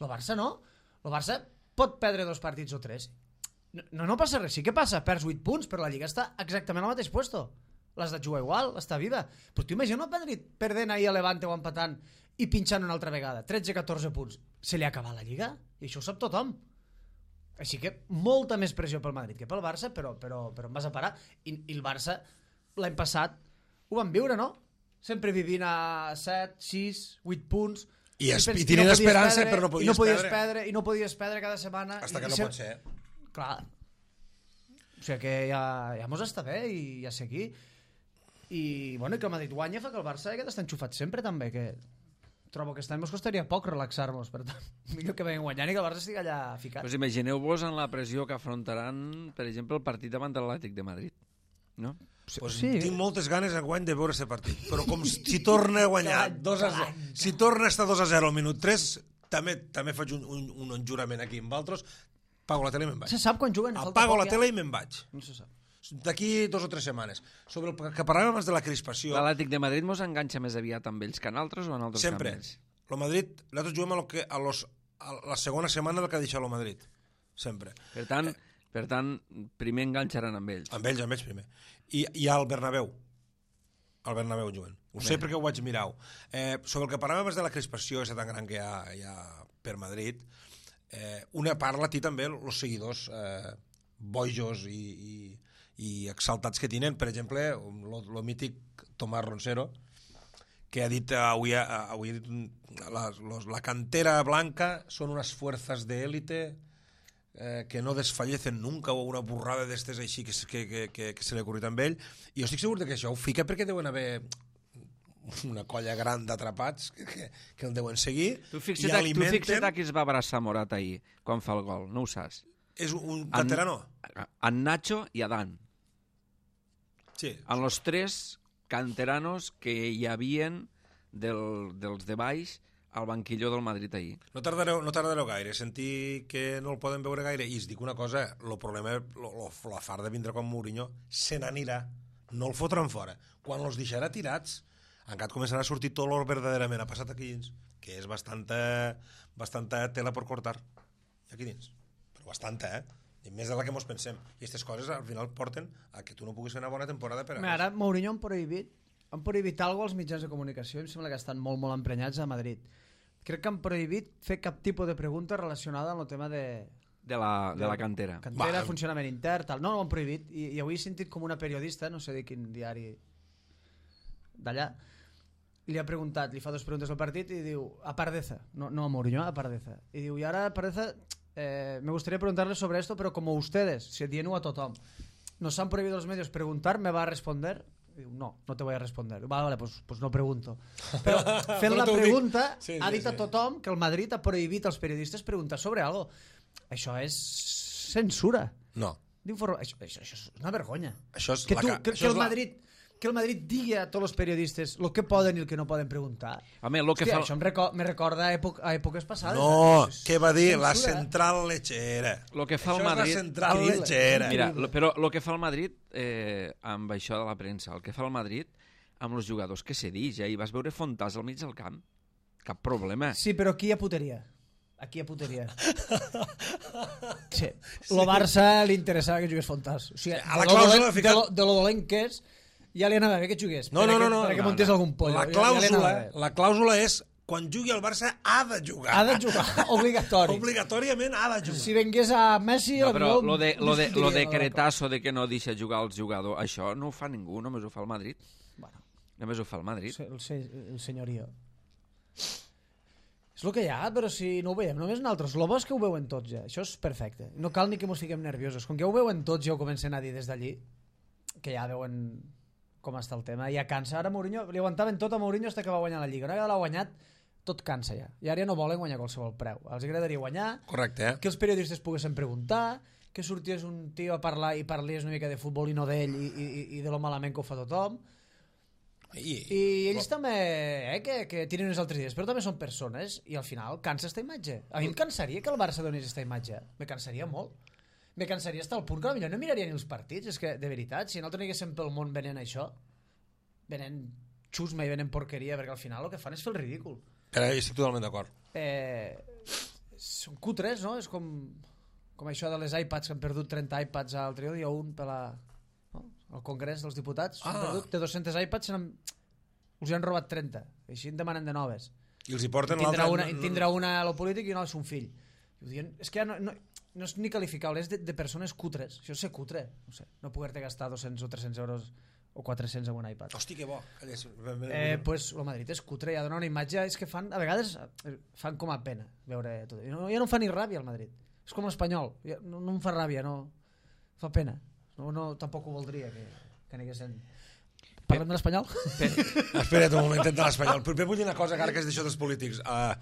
El Barça no. El Barça pot perdre dos partits o tres. No, no passa res. Sí que passa, perds vuit punts, però la Lliga està exactament al mateix puesto. L'has de jugar igual, està viva. Però tu imagina el Madrid perdent ahir a Levante o empatant i pinxant una altra vegada. tretze catorze punts. Se li ha acabat la Lliga? I això ho sap tothom. Així que molta més pressió pel Madrid que pel Barça, però, però, però em vas a parar. I, i el Barça, l'any passat, ho van viure, no? Sempre vivint a set, sis, vuit punts. I, es, i, i tenint no esperança, però no podies, i no podies perdre. perdre. I no podies perdre cada setmana. Hasta que i, no i pot ser. Clar. O sigui que ja, ja mos està bé i ja sé aquí. I, bueno, i que el Madrid guanya fa que el Barça aquest està enxufat sempre, també, que... trobo que aquest any ens costaria poc relaxar-nos, per tant, millor que venguen guanyant i que el Barça estigui allà ficat. Pues imagineu-vos en la pressió que afrontaran, per exemple, el partit davant de l'Atlètic de Madrid, no? Pues sí. Tinc moltes ganes enguany de veure aquest partit, però com si torna a guanyar dos a zero, si torna a estar dos a zero al minut tres, també també faig un, un, un enjurament aquí amb altres, apago la tele i me'n vaig. Se sap quan juguen? Apago la tele i me'n vaig. No se sap. O d'aquí dos o tres setmanes. Sobre el que parlàvem abans de la crispació... L'Atlètic de Madrid mos enganxa més aviat amb ells que en altres o en altres Sempre. que amb ells? El Madrid, nosaltres juguem a, lo que, a, los, a la segona setmana del que ha deixat el Madrid. Sempre. Per tant, per tant, primer enganxaran amb ells. Amb ells, amb ells primer. I, i al Bernabéu. Al Bernabéu juguen. Ho sé perquè ho vaig mirar. Eh, sobre el que parlàvem abans de la crispació, aquesta tan gran que hi ha, hi ha per Madrid, eh, una part la té també els seguidors eh, bojos i, i, i exaltats que tenen. Per exemple, el mític Tomàs Roncero, que ha dit avui, avui ha dit, la, los, la cantera blanca són unes fuerzas de élite eh, que no desfallecen nunca, o una burrada d'estes així que, que, que, que, que se li ha ocorrit amb ell. I jo estic segur que això ho fica perquè deuen haver una colla gran d'atrapats que, que, que el deuen seguir. Tu fixa't, i alimenten... tu fixa't a qui es va abraçar Morata ahir, quan fa el gol, no ho saps? És un canterano? En, en Nacho i Adán. Sí. En los tres canteranos que hi havien del, dels de baix al banquillo del Madrid ahir. No tardareu, no tardareu gaire, sentir que no el poden veure gaire, i es dic una cosa, el problema, lo, lo, la far de vindre com Mourinho, se n'anirà, no el fotran fora. Quan els deixarà tirats, encara començarà a sortir tot l'or verdaderament ha passat aquí dins, que és bastanta, bastanta tela per cortar. I aquí dins. Però bastanta, eh? I més de la que mos pensem. I aquestes coses al final porten a que tu no puguis fer una bona temporada per a més. Ara Mourinho han prohibit, han prohibit alguna cosa als mitjans de comunicació, em sembla que estan molt, molt emprenyats a Madrid. Crec que han prohibit fer cap tipus de pregunta relacionada amb el tema de... De la, de, de la cantera. Cantera, Va. funcionament intern, tal. No, no ho han prohibit. I, i avui he sentit com una periodista, no sé de quin diari d'allà, li ha preguntat, li fa dues preguntes al partit i diu, a Pardeza, no, no a Mourinho, a Pardeza. I diu, i ara Pardeza, eh, me gustaría preguntarle sobre esto, pero como ustedes, se dient-ho a tothom, nos han prohibido los medios preguntar, ¿me va a responder? I diu, no, no te voy a responder. Vale, vale, pues, pues no pregunto. Però fent la pregunta, sí, sí, ha dit sí. a tothom que el Madrid ha prohibit als periodistes preguntar sobre algo. Això és censura. No. Això, això, això és una vergonya. Això és que, tu, la, que, això que, el Madrid, que el Madrid digui a tots els periodistes el que poden i el que no poden preguntar. Home, lo que Hòstia, fa... això em reco me recorda a, època, a èpoques passades. No, què va dir? Censura. La central lechera. Lo que fa això el Madrid... és la central lechera. Mira, lo, però el que fa el Madrid, eh, amb això de la premsa, el que fa el Madrid amb els jugadors que se dix, ja hi vas veure Fontàs al mig del camp. Cap problema. Sí, però aquí hi ha puteria. Aquí hi ha puteria. Sí. Lo Barça li interessava que jugués Fontàs. O sigui, a la clàusula de, de, lo, de lo dolent que és, ja li anava bé que jugués. No, no, no, no. Perquè no, muntés no. algun pollo. La clàusula, ja, ja la clàusula és quan jugui al Barça ha de jugar. Ha de jugar, obligatori. Obligatòriament ha de jugar. Si vengués a Messi... No, però lo de, lo de, lo de cretazo de que no deixa jugar els jugadors, això no ho fa ningú, només ho fa el Madrid. Bueno, només ho fa el Madrid. El, el, el senyorio. És el que hi ha, però si no ho veiem només nosaltres. El bo és que ho veuen tots ja. Això és perfecte. No cal ni que mos fiquem nerviosos. Com que ja ho veuen tots, ja ho comencen a dir des d'allí, que ja veuen com està el tema. Ja cansa. Ara Mourinho, li aguantaven tot a Mourinho fins que va guanyar la Lliga. Una vegada l'ha guanyat, tot cansa ja. I ara ja no volen guanyar qualsevol preu. Els agradaria guanyar, correcte, eh? Que els periodistes poguessin preguntar, que sorties un tio a parlar i parlies una mica de futbol i no d'ell i, i, i de lo malament que ho fa tothom. I, I ells però... també, eh, que, que tiren uns altres dies, però també són persones i al final cansa esta imatge. A mi em cansaria que el Barça donés esta imatge. Me cansaria molt. Me cansaria estar al punt que potser no miraria ni els partits. És que, de veritat, si nosaltres anéssim pel món venent això, venent xusma i venent porqueria, perquè al final el que fan és fer el ridícul. Però estic totalment d'acord. Eh, són cutres, no? És com, com això de les iPads, que han perdut trenta iPads l'altre dia, un per la... al Congrés dels Diputats, ah. perdut, té dos-cents iPads, han, els han robat trenta, així en demanen de noves. I els hi porten l'altre... Una, I tindrà una a lo polític i una a son fill. I diuen, és que ja no, no, no és ni qualificable, és de, de persones cutres. Això és ser cutre, no sé, no poder-te gastar dos-cents o tres-cents euros o quatre-cents en un iPad. Hosti, que bo. Eh, pues el Madrid és cutre, ja dona una imatge, és que fan, a vegades fan com a pena veure tot. No, ja no fa ni ràbia el Madrid. És com l'Espanyol, ja, no, no em fa ràbia, no, fa pena. No, no, tampoc ho voldria que, que aniguessin... Parlem de l'Espanyol? Espera't un moment, de l'Espanyol. Primer vull dir una cosa, encara que és d'això dels polítics. Uh,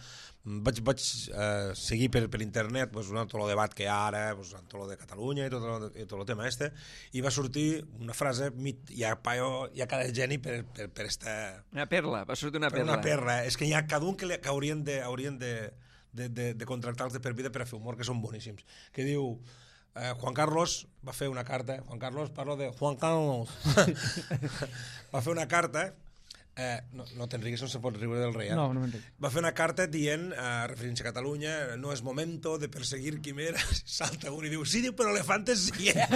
vaig vaig uh, seguir per, per internet pues, tot el debat que hi ha ara, pues, tot el de Catalunya i tot el, i tot el tema este, i va sortir una frase, hi ha, paio, hi ha cada geni per, per, per esta... Una perla, va sortir una per perla. Una perla. És que hi ha cada un que, li, que haurien de... Haurien de de, de, de contractar-los de per vida per a fer humor, que són boníssims, que diu eh, Juan Carlos va fer una carta, Juan Carlos, parlo de Juan Carlos, va fer una carta, eh, no, no t'enriquis, no se pot riure del rei, eh? No, no m'enric. Va fer una carta dient, eh, referint-se a Catalunya, no és momento de perseguir quimeres, salta un i diu, sí, diu, però elefantes sí, eh?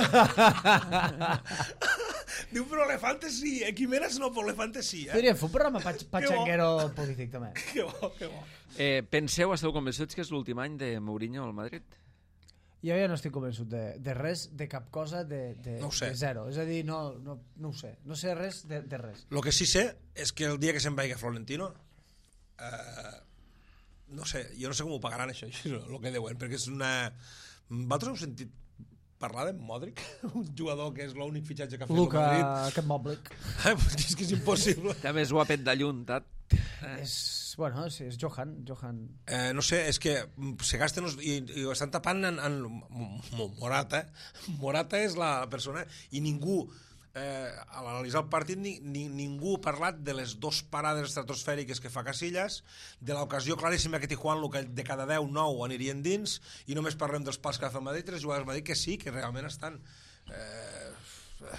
Diu, però elefantes sí, eh? Quimeres no, però elefantes sí, eh? Podríem fer un programa pach patxanguero polític, també. Que bo, que bo. Eh, penseu, esteu convençuts que és l'últim any de Mourinho al Madrid? Jo ja no estic convençut de, de res, de cap cosa, de, de, No ho sé. de zero. És a dir, no, no, no ho sé. No sé res de, de res. Lo que sí sé és que el dia que se'n vagi a Florentino, eh, no sé, jo no sé com ho pagaran això, el que deuen, perquè és una... Vosaltres heu sentit parlar de Modric? Un jugador que és l'únic fitxatge que ha fet Luka, el Madrid. aquest Moblic. Eh, és que és impossible. També és guapet de lluntat. És, bueno, sí, és Johan. Johan. Eh, no sé, és que se gasten els, i, i ho estan tapant en, en Morata. Morata és la persona i ningú, eh, a l'analitzar el partit, ni, ni, ningú ha parlat de les dos parades estratosfèriques que fa Casillas, de l'ocasió claríssima que Tijuana, que de cada deu, nou anirien dins, i només parlem dels pals que ha fet el Madrid, tres jugadors del Madrid que sí, que realment estan... Eh,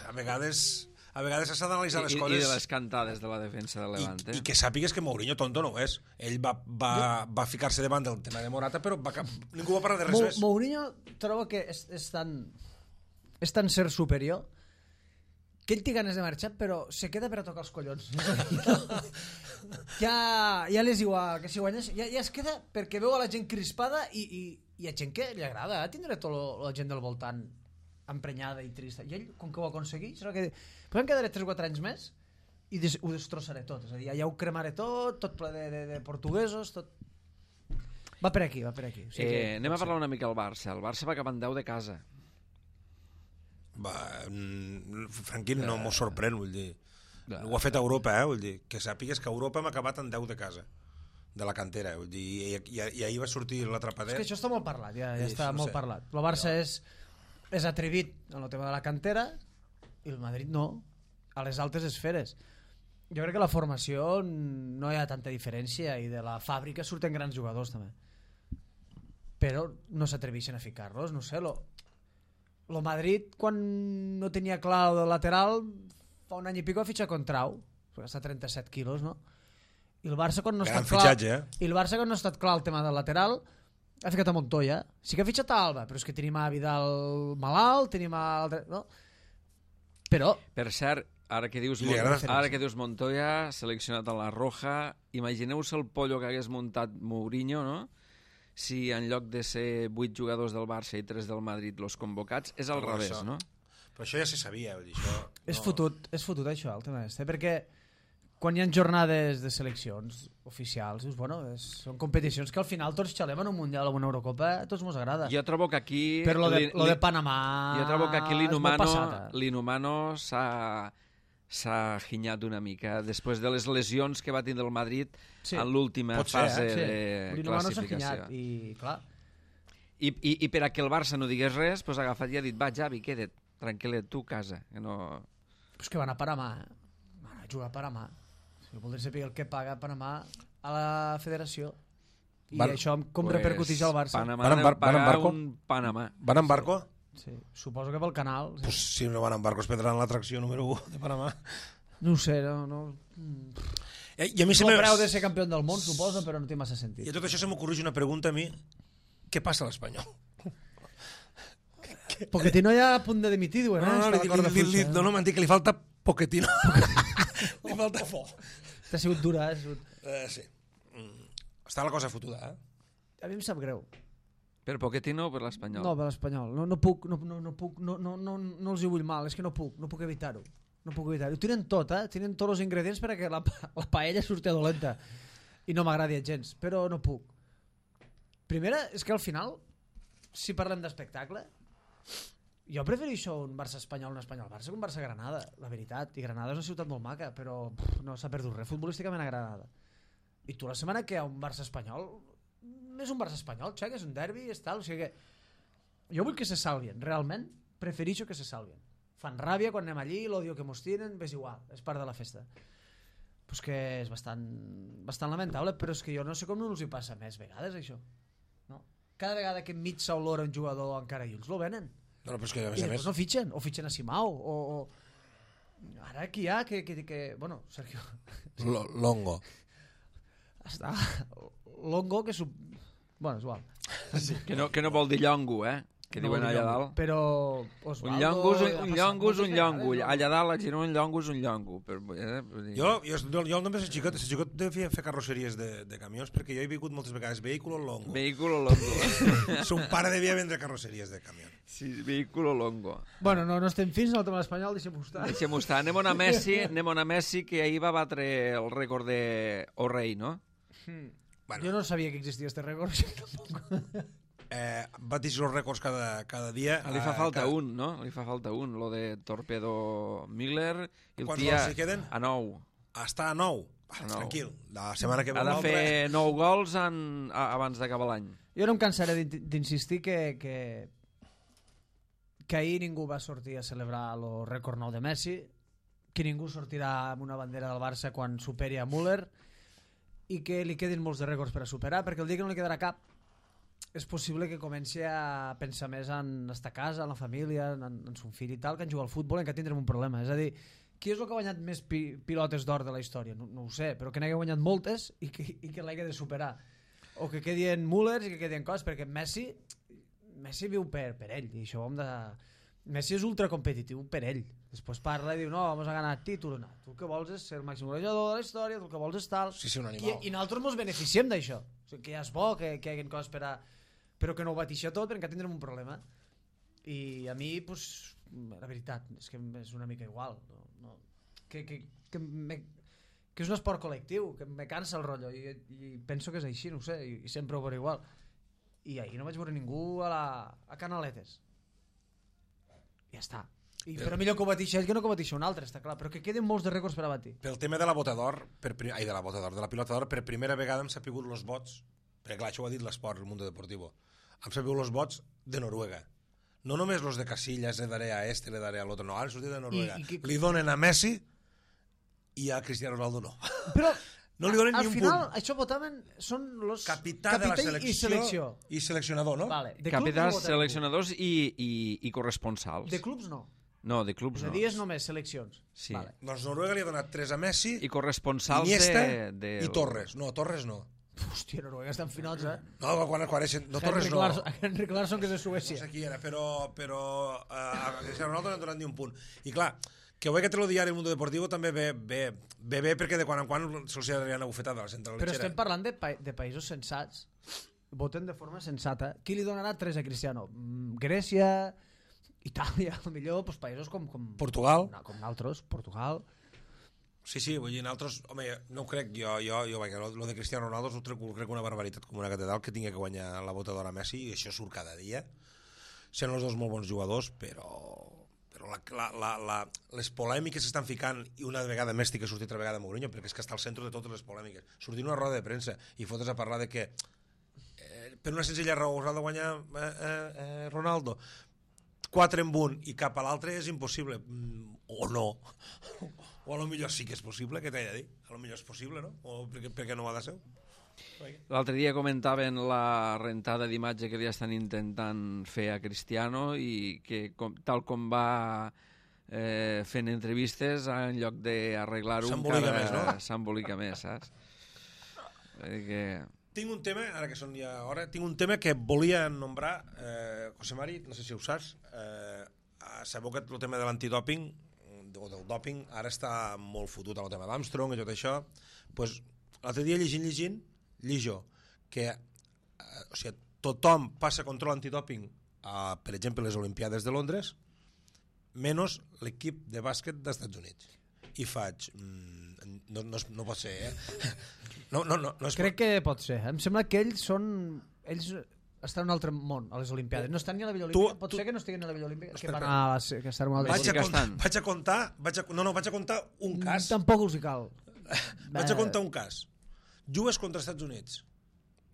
a vegades... A vegades s'ha d'analitzar les I, coses... I de les cantades de la defensa de Levante. I, i que sàpigues que Mourinho tonto no ho és. Ell va, va, va ficar-se davant del tema de Morata, però va, ningú va parlar de res Mo més. Mourinho trobo que és, és tan és tan ser superior que ell té ganes de marxar, però se queda per a tocar els collons. ja, ja les igual, que si guanyes, ja, ja es queda perquè veu a la gent crispada i, i, i a gent que li agrada tindre tota la gent del voltant emprenyada i trista. I ell, com que ho aconsegueix, serà que podem quedar tres o quatre anys més i des ho destrossaré tot. És a dir, ja ho cremaré tot, tot ple de, de, de portuguesos, tot... Va per aquí, va per aquí. O sigui Eh, que, anem a parlar una mica del Barça. El Barça va acabar en deu de casa. Va, mm, Franquín no m'ho sorprèn, vull dir. Ja. Ho ha fet a Europa, eh? Vull dir, que sàpigues que a Europa hem acabat en deu de casa, de la cantera, vull dir, i, i, i ahir va sortir l'atrapadet. és que això està molt parlat, ja, ja Sí, està no molt sé. parlat. El Barça és, és atrevit en el tema de la cantera i el Madrid no, a les altes esferes. Jo crec que la formació no hi ha tanta diferència i de la fàbrica surten grans jugadors també. Però no s'atreveixen a ficar-los, no sé, lo, lo Madrid quan no tenia clar el lateral fa un any i pico ha fitxat Contrau, perquè està a trenta-set quilos, no? I el Barça quan no ha Gran estat clar, fitxatge, eh? i el Barça quan no ha estat clar el tema del lateral ha ficat a Montoya. Sí que ha fitxat a Alba, però és que tenim a Vidal malalt, tenim a altre, no? Però Per cert, ara que dius, Li Mon agrada. ara que dius Montoya, seleccionat a la Roja, imagineu-se el pollo que hagués muntat Mourinho, no? Si en lloc de ser vuit jugadors del Barça i tres del Madrid los convocats, és al Però revés, això- no? Però això ja se sabia, vull dir, això... és no. fotut, és fotut això, el tema este, perquè quan hi ha jornades de seleccions oficials, dius, bueno, és, són competicions que al final tots xalem en un Mundial o una Eurocopa, a tots mos agrada. Jo trobo que aquí... Però lo de, li- lo de li- Panamà Jo trobo que aquí és molt l'Inhumano passada. l'Inhumano s'ha s'ha ginyat una mica després de les lesions que va tindre el Madrid Sí. en l'última Pot ser, fase eh? Sí, de l'Inhumano s'ha classificació. ginyat i, clar, I, i, I per a que el Barça no digués res, pues, ha agafat i ha dit, va, Javi, queda't, tranquil·let, tu a casa. Que no... és que van a Panamà, van a jugar a Panamà. Si voldré saber el que paga Panamà a la federació i Van- això com Pues, repercuteix al Barça. Panamà Van en bar- deu van en pagar barco? un Panamà. Van en barco? Sí, suposo que pel canal. Sí. Pues si no van en barco es prendran l'atracció número u de Panamà. No ho sé, no... no... Mm. Eh, I a mi se El me... preu de ser campió del món, suposo, però no té massa I sentit. a tot això se m'ocorreix una pregunta a mi. Què passa a l'Espanyol? Pochettino ja a punt de dimitir, diuen, No, eh? no, Està li, a la li, corda li, li, fluixa. no, no m'han dit que li falta Pochettino. Li falta foc. T'ha sigut dura, eh? Ha sigut... Eh, sí. Mm. Està la cosa fotuda, eh? A mi em sap greu. Per Pochettino o per l'Espanyol? No, per l'Espanyol. No, no puc, no, no, no puc, no, no, no, no els hi vull mal, és que no puc, no puc evitar-ho. No puc evitar-ho. Ho tenen tot, eh? Tenen tots els ingredients perquè la, pa- la paella surti dolenta. I no m'agrada gens, però no puc. Primera, és que al final, si parlem d'espectacle, jo prefereixo un Barça-Espanyol, un Espanyol-Barça que un Barça-Granada, la veritat. I Granada és una ciutat molt maca, però pff, no s'ha perdut res futbolísticament a Granada. I tu la setmana que hi ha un Barça-Espanyol, és un Barça-Espanyol, xec, és un derbi, és tal, o sigui que jo vull que se salvien, realment preferixo que se salvien. Fan ràbia quan anem allí, l'odio que mos tiren, és igual, és part de la festa. Pues que és bastant, bastant lamentable, però és que jo no sé com no els hi passa més vegades, això. No? Cada vegada que enmig s'olora un jugador encara i uns lo venen. No, però és que, a més I a més... després no fitxen, o fitxen a Simao, o... o... Ara aquí hi ha que... que, que... Bueno, Sergio... L Longo. Està... Longo, que... Sub... Bueno, és igual. Sí. Que, no, que no vol dir llongo, eh? Que No diuen vol dir allà llongo. dalt. Però... Un Osvaldo, llongo és un, ha un passat llongo és moltes un llongo. vegades, no? Allà dalt a Girona un llongo és un llongo. Però, eh, vull dir... Jo, jo, jo, jo només a xicot, a xicot devia fer carrosseries de, de camions perquè jo he vingut moltes vegades vehículo longo. Vehículo longo. Son pare devia vendre carrosseries de camió. Sí, vehículo longo. Bueno, no, no estem fins en el tema espanyol, deixem-ho estar. Deixem-ho estar. Anem on a Messi, anem on a Messi, que ahir va batre el rècord de O'Reilly, no? Hmm. Bueno. Jo no sabia que existia este rècord, tampoc. Eh, batix els rècords cada, cada dia. Li fa eh, falta cada... un, no? Li fa falta un, lo de Torpedo Miller. I el Quants tia gols hi queden? a nou. Està a nou. Ah, A nou. tranquil, la setmana que ve Ha de l'altre... fer nou gols en, a, abans d'acabar l'any. Jo no em cansaré d'in- d'insistir que, que, que ahir ningú va sortir a celebrar el rècord nou de Messi, que ningú sortirà amb una bandera del Barça quan superi a Müller i que li quedin molts de rècords per a superar, perquè el dia que no li quedarà cap és possible que comenci a pensar més en estar a casa, en la família, en, en son fill i tal, que en jugar al futbol, en què tindrem un problema. És a dir, qui és el que ha guanyat més pi pilotes d'or de la història? No, no ho sé, però que n'hagi guanyat moltes i que, i que l'hagi de superar. O que quedi en Müller i que quedi en cos, perquè Messi Messi viu per, per ell, i això ho hem de... Messi és ultracompetitiu per ell. Després parla i diu, no, vamos a ganar títol. No, tu el que vols és ser el màxim golejador de la història, tu el que vols és tal... Sí, sí, un I, animal. i nosaltres ens beneficiem d'això. O sigui, que ja és bo que, que hi hagi coses per a... però que no ho batixa tot perquè tindrem un problema. I a mi, pues, la veritat, és que és una mica igual. No, no, que, que, que, me, que és un esport col·lectiu, que me cansa el rotllo, i, i penso que és així, no ho sé, i, i sempre ho veuré igual. I ahir no vaig veure ningú a, la, a Canaletes. Ja està. I, però millor que ho batixi ell que no que ho batixi un altre, està clar. Però que queden molts de rècords per a batir. Pel tema de la bota d'or, per prim... ai, de la bota d'or, de la pilota d'or, per primera vegada hem sapigut els vots, perquè clar, això ho ha dit l'esport, el Mundo Deportivo, hem sapigut els vots de Noruega. No només los de Casillas, le daré a este, le daré a l'altre, no, han sortit de Noruega. I, i que... Li donen a Messi i a Cristiano Ronaldo no. Però no li donen al ni un final, punt. això votaven, són los Capità, de la selecció i selecció. i seleccionador, no? Vale. De Capitans, clubs no voten seleccionadors i, i, i corresponsals. ningú. De clubs no. No, de clubs És a no. dir, és només seleccions. Sí. Vale. Doncs Noruega li ha donat tres a Messi, I corresponsals Iniesta de, de... i Torres. No, Torres no. Hòstia, Noruega està en finals, eh? No, quan, quan eixen... No, Torres Henrik no. Larsson, Henrik Larsson, que és de No Suècia. sé qui era, però, però uh, a Cristiano Ronaldo no han donat ni un punt. I clar, que avui que te lo diari el Mundo Deportivo també ve bé, ve bé perquè de quan en quan se'ls ha una bufetada a la central Però lechera. estem parlant de, pa de països sensats. Voten de forma sensata. Qui li donarà tres a Cristiano? Mm, Grècia, Itàlia, millor doncs, països com, com, Portugal. com, com altres, Portugal. Sí, sí, vull dir, nosaltres, home, no ho crec, jo, jo, jo vaja, lo, lo de Cristiano Ronaldo ho crec, ho crec una barbaritat com una catedral que tingui que guanyar la bota d'or a Messi, i això surt cada dia. Sent els dos molt bons jugadors, però, però la, la, la, la, les polèmiques s'estan ficant, i una vegada més tinc que sortir altra vegada Mourinho, perquè és que està al centre de totes les polèmiques. Sortir una roda de premsa i fotres a parlar de que eh, per una senzilla raó us ha de guanyar eh, eh, eh, Ronaldo, quatre en un i cap a l'altre és impossible, mm, o no, o a lo millor sí que és possible, que t'he de dir, a lo millor és possible, no? O perquè, perquè no ho ha de ser. L'altre dia comentaven la rentada d'imatge que li estan intentant fer a Cristiano i que com, tal com va eh, fent entrevistes, en lloc d'arreglar-ho S'embolica més, no? s'embolica més, saps? Que... Tinc un tema, ara que són ja hora, tinc un tema que volia nombrar, eh, José Mari, no sé si ho saps, eh, sabeu que el tema de l'antidòping, o del dòping, ara està molt fotut amb el tema d'Armstrong i tot això, pues, l'altre dia llegint, llegint, llijo, que eh, o sigui, tothom passa control antidòping a, per exemple, les Olimpiades de Londres, menys l'equip de bàsquet dels Estats Units. I faig... Mm, no, no, no pot ser, eh? No, no, no, no és... Crec que pot ser. Em sembla que ells són... Ells estan en un altre món, a les Olimpiades. No estan ni a la Vella Olímpica. Tu- Pot tu- ser que no estiguin a la Vella Olímpica. Que Espera, van a... la- que estan a una altra... Vaig a, Sí que contar, estan. vaig a contar, vaig a, no, no, vaig a contar un cas. Tampoc els hi cal. Vaig a contar un cas. Jugues contra Estats Units.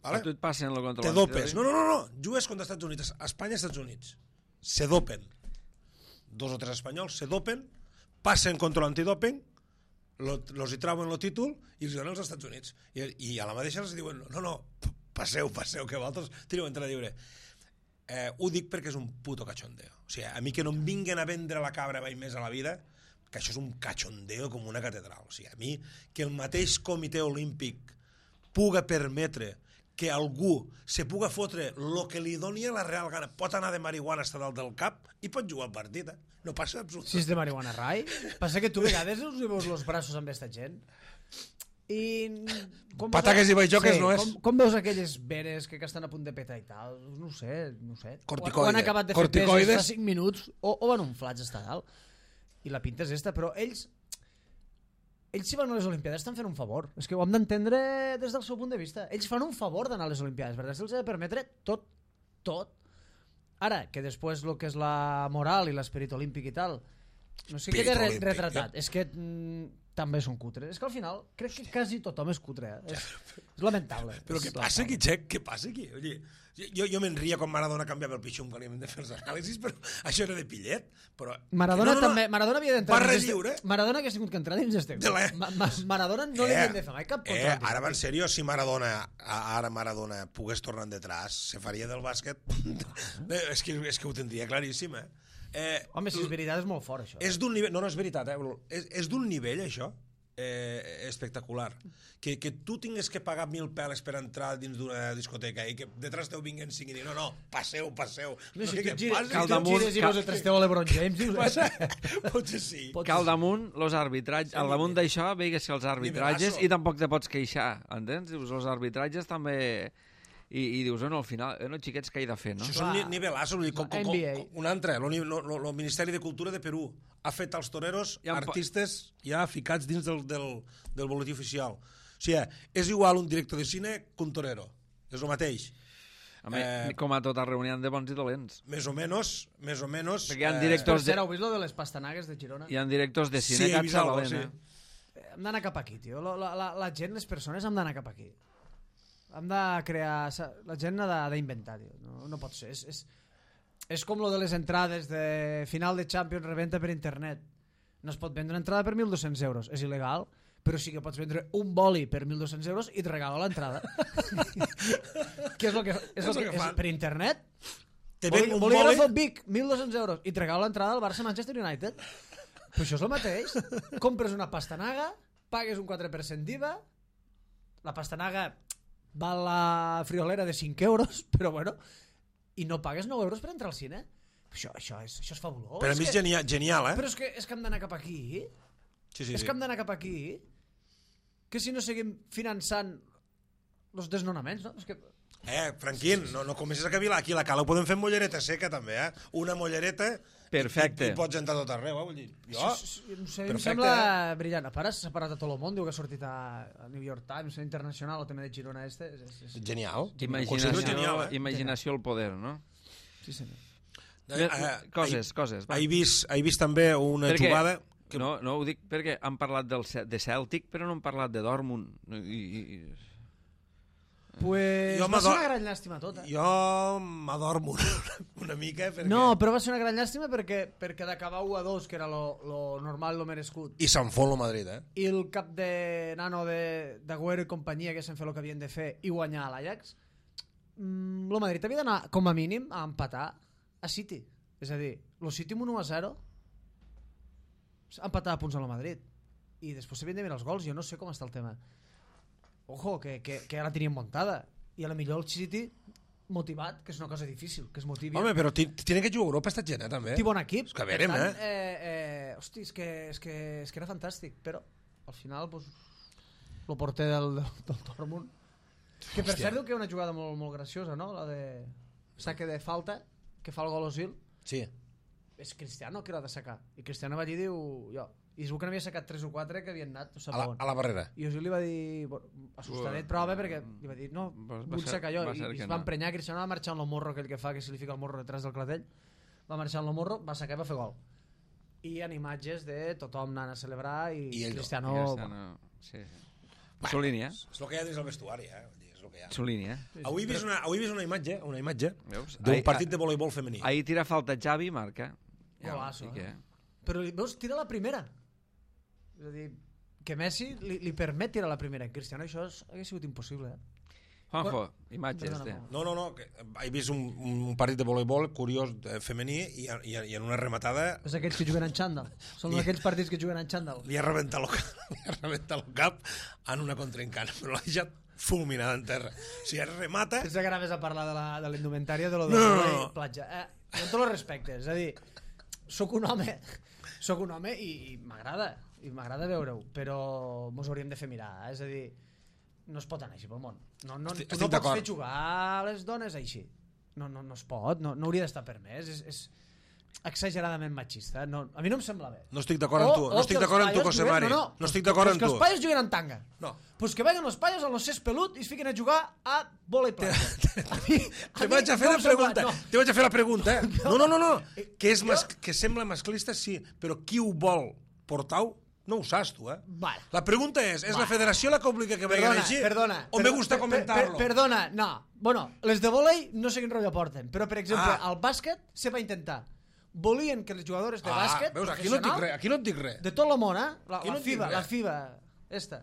A tu et passen el control Te dopes. No, no, no, no. Jugues contra Estats Units. Espanya i Estats Units. Se dopen. Dos o tres espanyols se dopen, passen control antidoping, lo, los hi trauen el títol i els donen als Estats Units. I, i a la mateixa els diuen, no, no, passeu, passeu, que vosaltres teniu entrada lliure. eh, ho dic perquè és un puto cachondeo. O sigui, a mi que no em vinguen a vendre la cabra mai més a la vida, que això és un cachondeo com una catedral. O sigui, a mi que el mateix comitè olímpic puga permetre que algú se puga fotre el que li doni a la real gana, pot anar de marihuana hasta dalt del cap i pot jugar al partit, eh? No passa absolutament. Si és de marihuana, Rai. Passa que tu a vegades us hi veus els braços amb aquesta gent. I... Com Pataques i baixoques sí, no és. Com, com veus aquelles veres que, que estan a punt de petar i tal? No ho sé, no ho sé. Corticoide. O, o han acabat de fer Corticoides. peses fa cinc minuts o, o van unflats està dalt. I la pinta és esta, però ells... Ells si van a les Olimpiades estan fent un favor. És que ho hem d'entendre des del seu punt de vista. Ells fan un favor d'anar a les Olimpiades, perquè se'ls ha de permetre tot, tot. Ara, que després el que és la moral i l'esperit olímpic i tal, no sé què queda re retratat. És que mm, també són cutres. És que al final crec que quasi tothom és cutre. Eh? És, és lamentable. Però és què passa aquí, Xec? Què passa aquí? Oye, jo, jo me'n ria quan Maradona canviava el pitxum quan hi hem de fer els anàlisis, però això era de pillet. Però... Maradona no, no, no. també, Maradona havia d'entrar Barra dins lliure. este... Maradona hagués tingut que entrar dins este. La... Ma Ma Maradona no eh, li havien de fer mai cap eh, control. Ara va en sèrio, si Maradona ara Maradona pogués tornar detrás, se faria del bàsquet. és, que, és que ho tindria claríssim, eh? eh Home, si és veritat és molt fort, això. És d'un nivell... No, no, és veritat, eh? És, és d'un nivell, això, eh, espectacular. Que, que tu tingues que pagar mil peles per entrar dins d'una discoteca i que detrás teu vinguen cinc i dir no, no, passeu, passeu. No, no si sé tu què gires, passa. si tu gires i veus el trasteu a l'Ebron James, dius... Passa? Potser sí. Que al damunt, los arbitratges, al damunt d'això, veigues que els arbitratges, i tampoc te pots queixar, entens? Dius, els arbitratges també... I, i dius, no, al final, eh, no, xiquets, què he de fer, no? Això són ni nivelassos, com, com, N B A. com, un altre, el Ministeri de Cultura de Perú ha fet als toreros Ja em pa- artistes ja ficats dins del, del, del boletí oficial. O sigui, és igual un director de cine que un torero, és el mateix. Home, Eh, com a tota reunió de bons i dolents. Més o menys, més o menys... Perquè hi ha eh, Per directors, cert, de, heu vist lo de les pastanagues de Girona? hi ha directors de Sí, cine he que vist algo, s'avalen, sí. eh? Hem d'anar cap aquí, tio. La, la, la gent, les persones, hem d'anar cap aquí. Hem de crear... La gent ha de- d'inventar, tio. No, no pot ser. És, és, és com lo de les entrades de final de Champions reventa per internet. No es pot vendre una entrada per mil dos-cents euros. És il·legal, però sí que pots vendre un boli per mil dos-cents euros i et regalo l'entrada. Què és el que, és el el que, que és, fan. per internet? Te Boli, ven un bolígrafo boli... Vic, mil dos-cents euros i et regalo l'entrada al Barça-Manchester United. Però això és el mateix. Compres una pastanaga, pagues un quatre per cent d'I V A, la pastanaga val la friolera de cinc euros, però bueno, i no pagues nou euros per entrar al cine. Això, això, és, això és fabulós. Per a mi és que, genial, genial, eh? però és que, és que hem d'anar cap aquí. Sí, sí, és sí. que hem d'anar cap aquí. Que si no seguim finançant els desnonaments, no? És que... Eh, Franquín, no, no comences a cavilar. Aquí a la cala ho podem fer amb mollereta seca, també, eh? Una mollereta... Perfecte. I, i pots entrar tot arreu, eh? Vull dir, jo... Això, és- no sé, em Perfecte, sembla eh? brillant. A part, s'ha separat a tot el món, diu que ha sortit a, a New York Times, a Internacional, el tema de Girona este. És, és, és... Genial. Imaginació, Considero genial, eh? imaginació al poder, no? Sí, senyor. Eh, eh, coses, he- coses. va. He vist, he vist també una Perquè- jugada... Que... No, no, ho dic perquè han parlat del, Ce- de Celtic, però no han parlat de Dortmund. I, i, Pues Jo va ser m'ador- una gran llàstima tota. Jo m'adormo una, una mica, perquè... No, però va ser una gran llàstima perquè, perquè d'acabar u a dos, que era lo, lo normal, lo merescut, I se'n fot el Madrid, eh? i el cap de nano de- d'Agüero i companyia que s'han fet el que havien de fer i guanyar a l'Ajax, mm, el Madrid havia d'anar com a mínim a empatar a City. És a dir, el City amb un u a zero empatar a punts amb el Madrid i després s'havien de mirar els gols. Jo no sé com està el tema. Ojo, que, que, que ara tenien muntada i a la millor el City motivat, que és una cosa difícil, que es motivi. Home, però ti- tiene que jugar a Europa esta gent, eh, també. Té bon equip. És que a per veure, tant, eh? eh, eh, hosti, és que, és, que, és que era fantàstic, però al final pues, el porter del, del, del Dortmund, que per Hòstia. cert diu que una jugada molt, molt graciosa, no? La de saque de falta, que fa el gol Osil, Sí. és Cristiano que l'ha de sacar, i Cristiano va allí i diu jo, i es veu que n'havia sacat tres o quatre que havien anat no sap A la, on. a la barrera. I Osil li va dir, bueno, assustadet però bé, perquè li va dir, no, Va- va vull ser- sacar jo, va i, ser i que es va no. emprenyar. Cristiano va marxar amb el morro aquell que fa, que se li fica el morro detrás del clatell, va marxar amb el morro, va sacar i va fer gol. I hi ha imatges de tothom anant a celebrar i, I ell no. Cristiano... Cristiano, sí, sí. Su línia, És el que hi ha dins el vestuari, eh? Vull dir, és el que hi ha. su línia. Avui he vist una, avui he vist una imatge, una imatge Veus? d'un Ahir- partit de voleibol femení. Ahir tira falta Xavi i marca. Golaço, sí que... eh? Però li- veus, tira la primera. És a dir, que Messi li, li permet tirar la primera. En Cristiano això és, hagués sigut impossible. Eh? Juanjo, imatges Perdona, de... Juanjo. No, no, no, que he vist un, un partit de voleibol curiós eh, femení i, i, i en una rematada És aquells que juguen en xandall. Són I- aquells partits que juguen en xandall. li ha rebentat el cap, li ha rebentat el cap en una contraencana, però l'ha deixat fulminada en terra. O sigui, remata... Pensa que anaves a parlar de la, de la indumentària de lo No, de no, la no. platja. Eh, amb tots els respectes, és a dir, sóc un home, sóc un home i, i m'agrada, i m'agrada veure-ho, però mos hauríem de fer mirar, eh? És a dir, no es pot anar així pel món. No, no, Estic- tu estic no pots d'acord. fer jugar a les dones així. No, no, no es pot, no, no hauria d'estar permès, és, és exageradament machista. No, a mi no em sembla bé. No estic d'acord amb tu, no estic que els d'acord amb tu, paios José juguen- Mari. No, no, No estic d'acord amb pues que tu. els paios juguen en tanga. No. Pues que vagin els paios a los cés pelut i es fiquen a jugar a bola i plata. A mi, Te vaig a fer la no em sembla- pregunta, no. te vaig a fer la pregunta, eh? No, no, no, no. Que, és Jo- mas, que sembla masclista, sí, però qui ho vol portar-ho, no ho saps tu, eh? Vale. La pregunta és, és la Vale. federació la que obliga que vagin Perdona, així? perdona. O per- me gusta per- comentar-lo? per- Perdona, no. Bueno, les de volei no sé quin rotllo porten, però, per exemple, Ah. al bàsquet se va intentar. Volien que les jugadores de bàsquet veus, aquí no et dic professional, res, aquí no et dic res. de tot el món, eh? La, Aquí la no et dic FIBA, res. la FIBA, esta.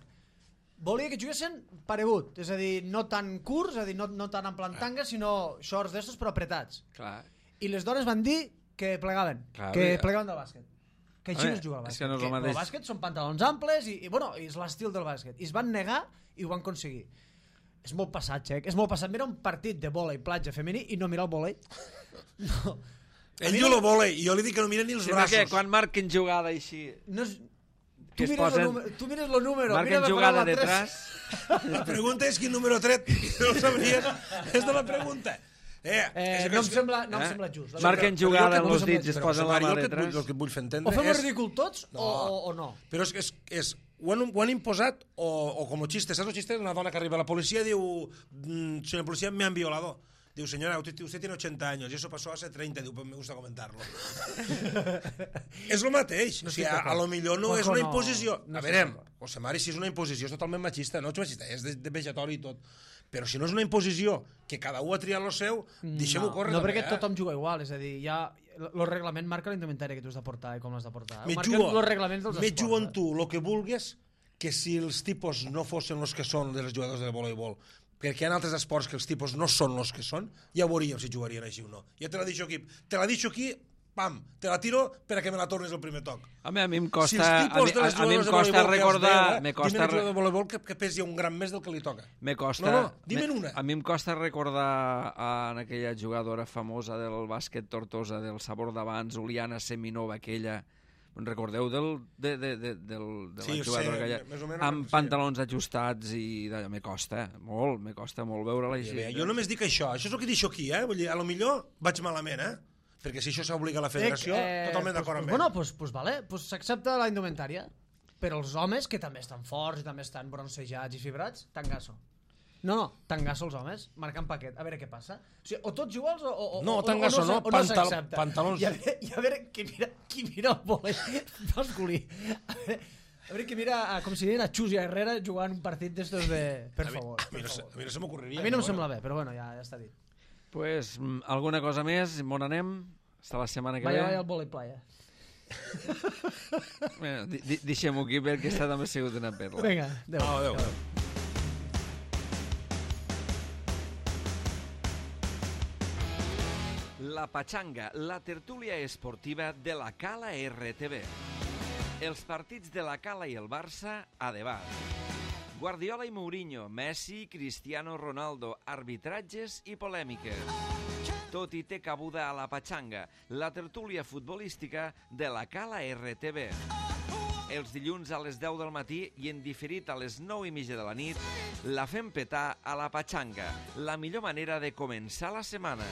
Volia que juguessin paregut, és a dir, no tan curts, és a dir, no, no tan en plan tanga, sinó shorts d'estos però apretats. Clar. I les dones van dir que plegaven, Clar, que ja. plegaven del bàsquet. Que així A no veure, es juga al és bàsquet. que no és el mateix. el bàsquet són pantalons amples i, i, bueno, i és l'estil del bàsquet. I es van negar i ho van aconseguir. És molt passat, Xec, és molt passat. Mira un partit de vòlei platja femení i no mira el vòlei. No. A Ell mi diu no- el vòlei i jo li dic que no mira ni els Sí, perquè braços. quan marquen jugada així... No és... Que Tu es mires, posen- el número, tu mires el número, mira Marquen la jugada paraula tres. detrás... La pregunta és quin número tret. No ho sabries. És de la pregunta. Eh, Eh, és que- no em sembla, no em Eh? sembla just. la Marquen veritat. jugada Però jo amb que- els dits i es però, posen José la Mari, mà jo el que et vull- detrás. El que et vull fer O entendre fem el és... ridícul tots No. o, o, o no. Però és, és, és ho, han, ho han imposat o, o com a xiste, saps el xiste? Una dona que arriba a la policía diu, mm, señor policía, me han violado. Diu, señora, usted, usted tiene ochenta años y eso pasó hace treinta. Diu, pues me gusta comentarlo. És el mateix. No o sigui, a, a lo millor no Juanjo, és una no- imposició. no a estic veure, d'acord. José Mari, si és una imposició és totalment machista. No és machista, és de, de vejatori i tot. Però si no és una imposició, que cada un ha triat lo seu, deixem-ho no, córrer. no també, perquè eh? tothom juga igual, és a dir, ja el reglament marca la indumentària que tu has de portar i com l'has de portar. Me Marquen jugo, els reglaments dels me esports. jugo en eh? tu el que vulguis, que si els tipus no fossin els que són dels jugadors de voleibol, perquè hi ha altres esports que els tipus no són els que són, ja veuríem si jugarien així o no. Ja te la deixo aquí. Te la deixo aquí, pam, te la tiro per a que me la tornis el primer toc. Home, a mi em Si costa, els a, tipus mi, de a, les a mi em jugadores de costa voleibol que els recordar... deia, Me dime costa, un jugador de voleibol que, que pesi un gram més del que li toca. me costa, No, no, dime'n me- una. A mi em costa recordar a, en aquella jugadora famosa del bàsquet Tortosa, del sabor d'abans, Uliana Seminova, aquella... Me'n recordeu del, de, de, de, del, de Sí, la ho jugadora sé, aquella? més o menys, Amb sí. pantalons ajustats i... d'allò, me costa, molt, me costa molt veure-la I així. bé, jo només dic això, això és el que deixo aquí, eh? Vull dir, a lo millor vaig malament, eh? Perquè si això s'obliga a la federació, Eh, totalment pues, d'acord amb pues, ell. Bueno, pues, pues vale, pues s'accepta la indumentària. Però els homes, que també estan forts i també estan broncejats i fibrats, tangasso. No, no, tangasso els homes, marcant paquet, a veure què passa. O sigui, o tots iguals o, o, No, o, tangasso o no, o pantal- s'accepta. pantalons. I a veure, i a veure qui mira, qui mira el vòlei masculí. A veure, a veure qui mira, a, com si diguin a Xus i a Herrera jugant un partit d'estos de... Per A mi, favor, a mi per no, se, favor. a mi no se m'ocorreria. A mi no em però sembla bé, però bueno, ja, ja està dit. Pues, mm, alguna cosa més? On anem? Està la setmana que Vaya, ve? vaya al vòlei playa. Bueno, di- di- deixem-ho aquí perquè aquesta també ha sigut una perla. Vinga, adéu. Au, adéu. adéu. La Pachanga, la tertúlia esportiva de la Cala R T V. Els partits de la Cala i el Barça a debat. Guardiola i Mourinho, Messi, Cristiano Ronaldo, arbitratges i polèmiques. Tot i té cabuda a la Pachanga, la tertúlia futbolística de la Cala R T V. Els dilluns a les deu del matí i en diferit a les nou i mitja de la nit, la fem petar a la Pachanga, la millor manera de començar la setmana.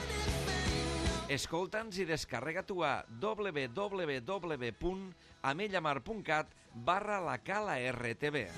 Escolta'ns i descarrega-t'ho a w w w punt amellamar punt cat barra la Cala R T V.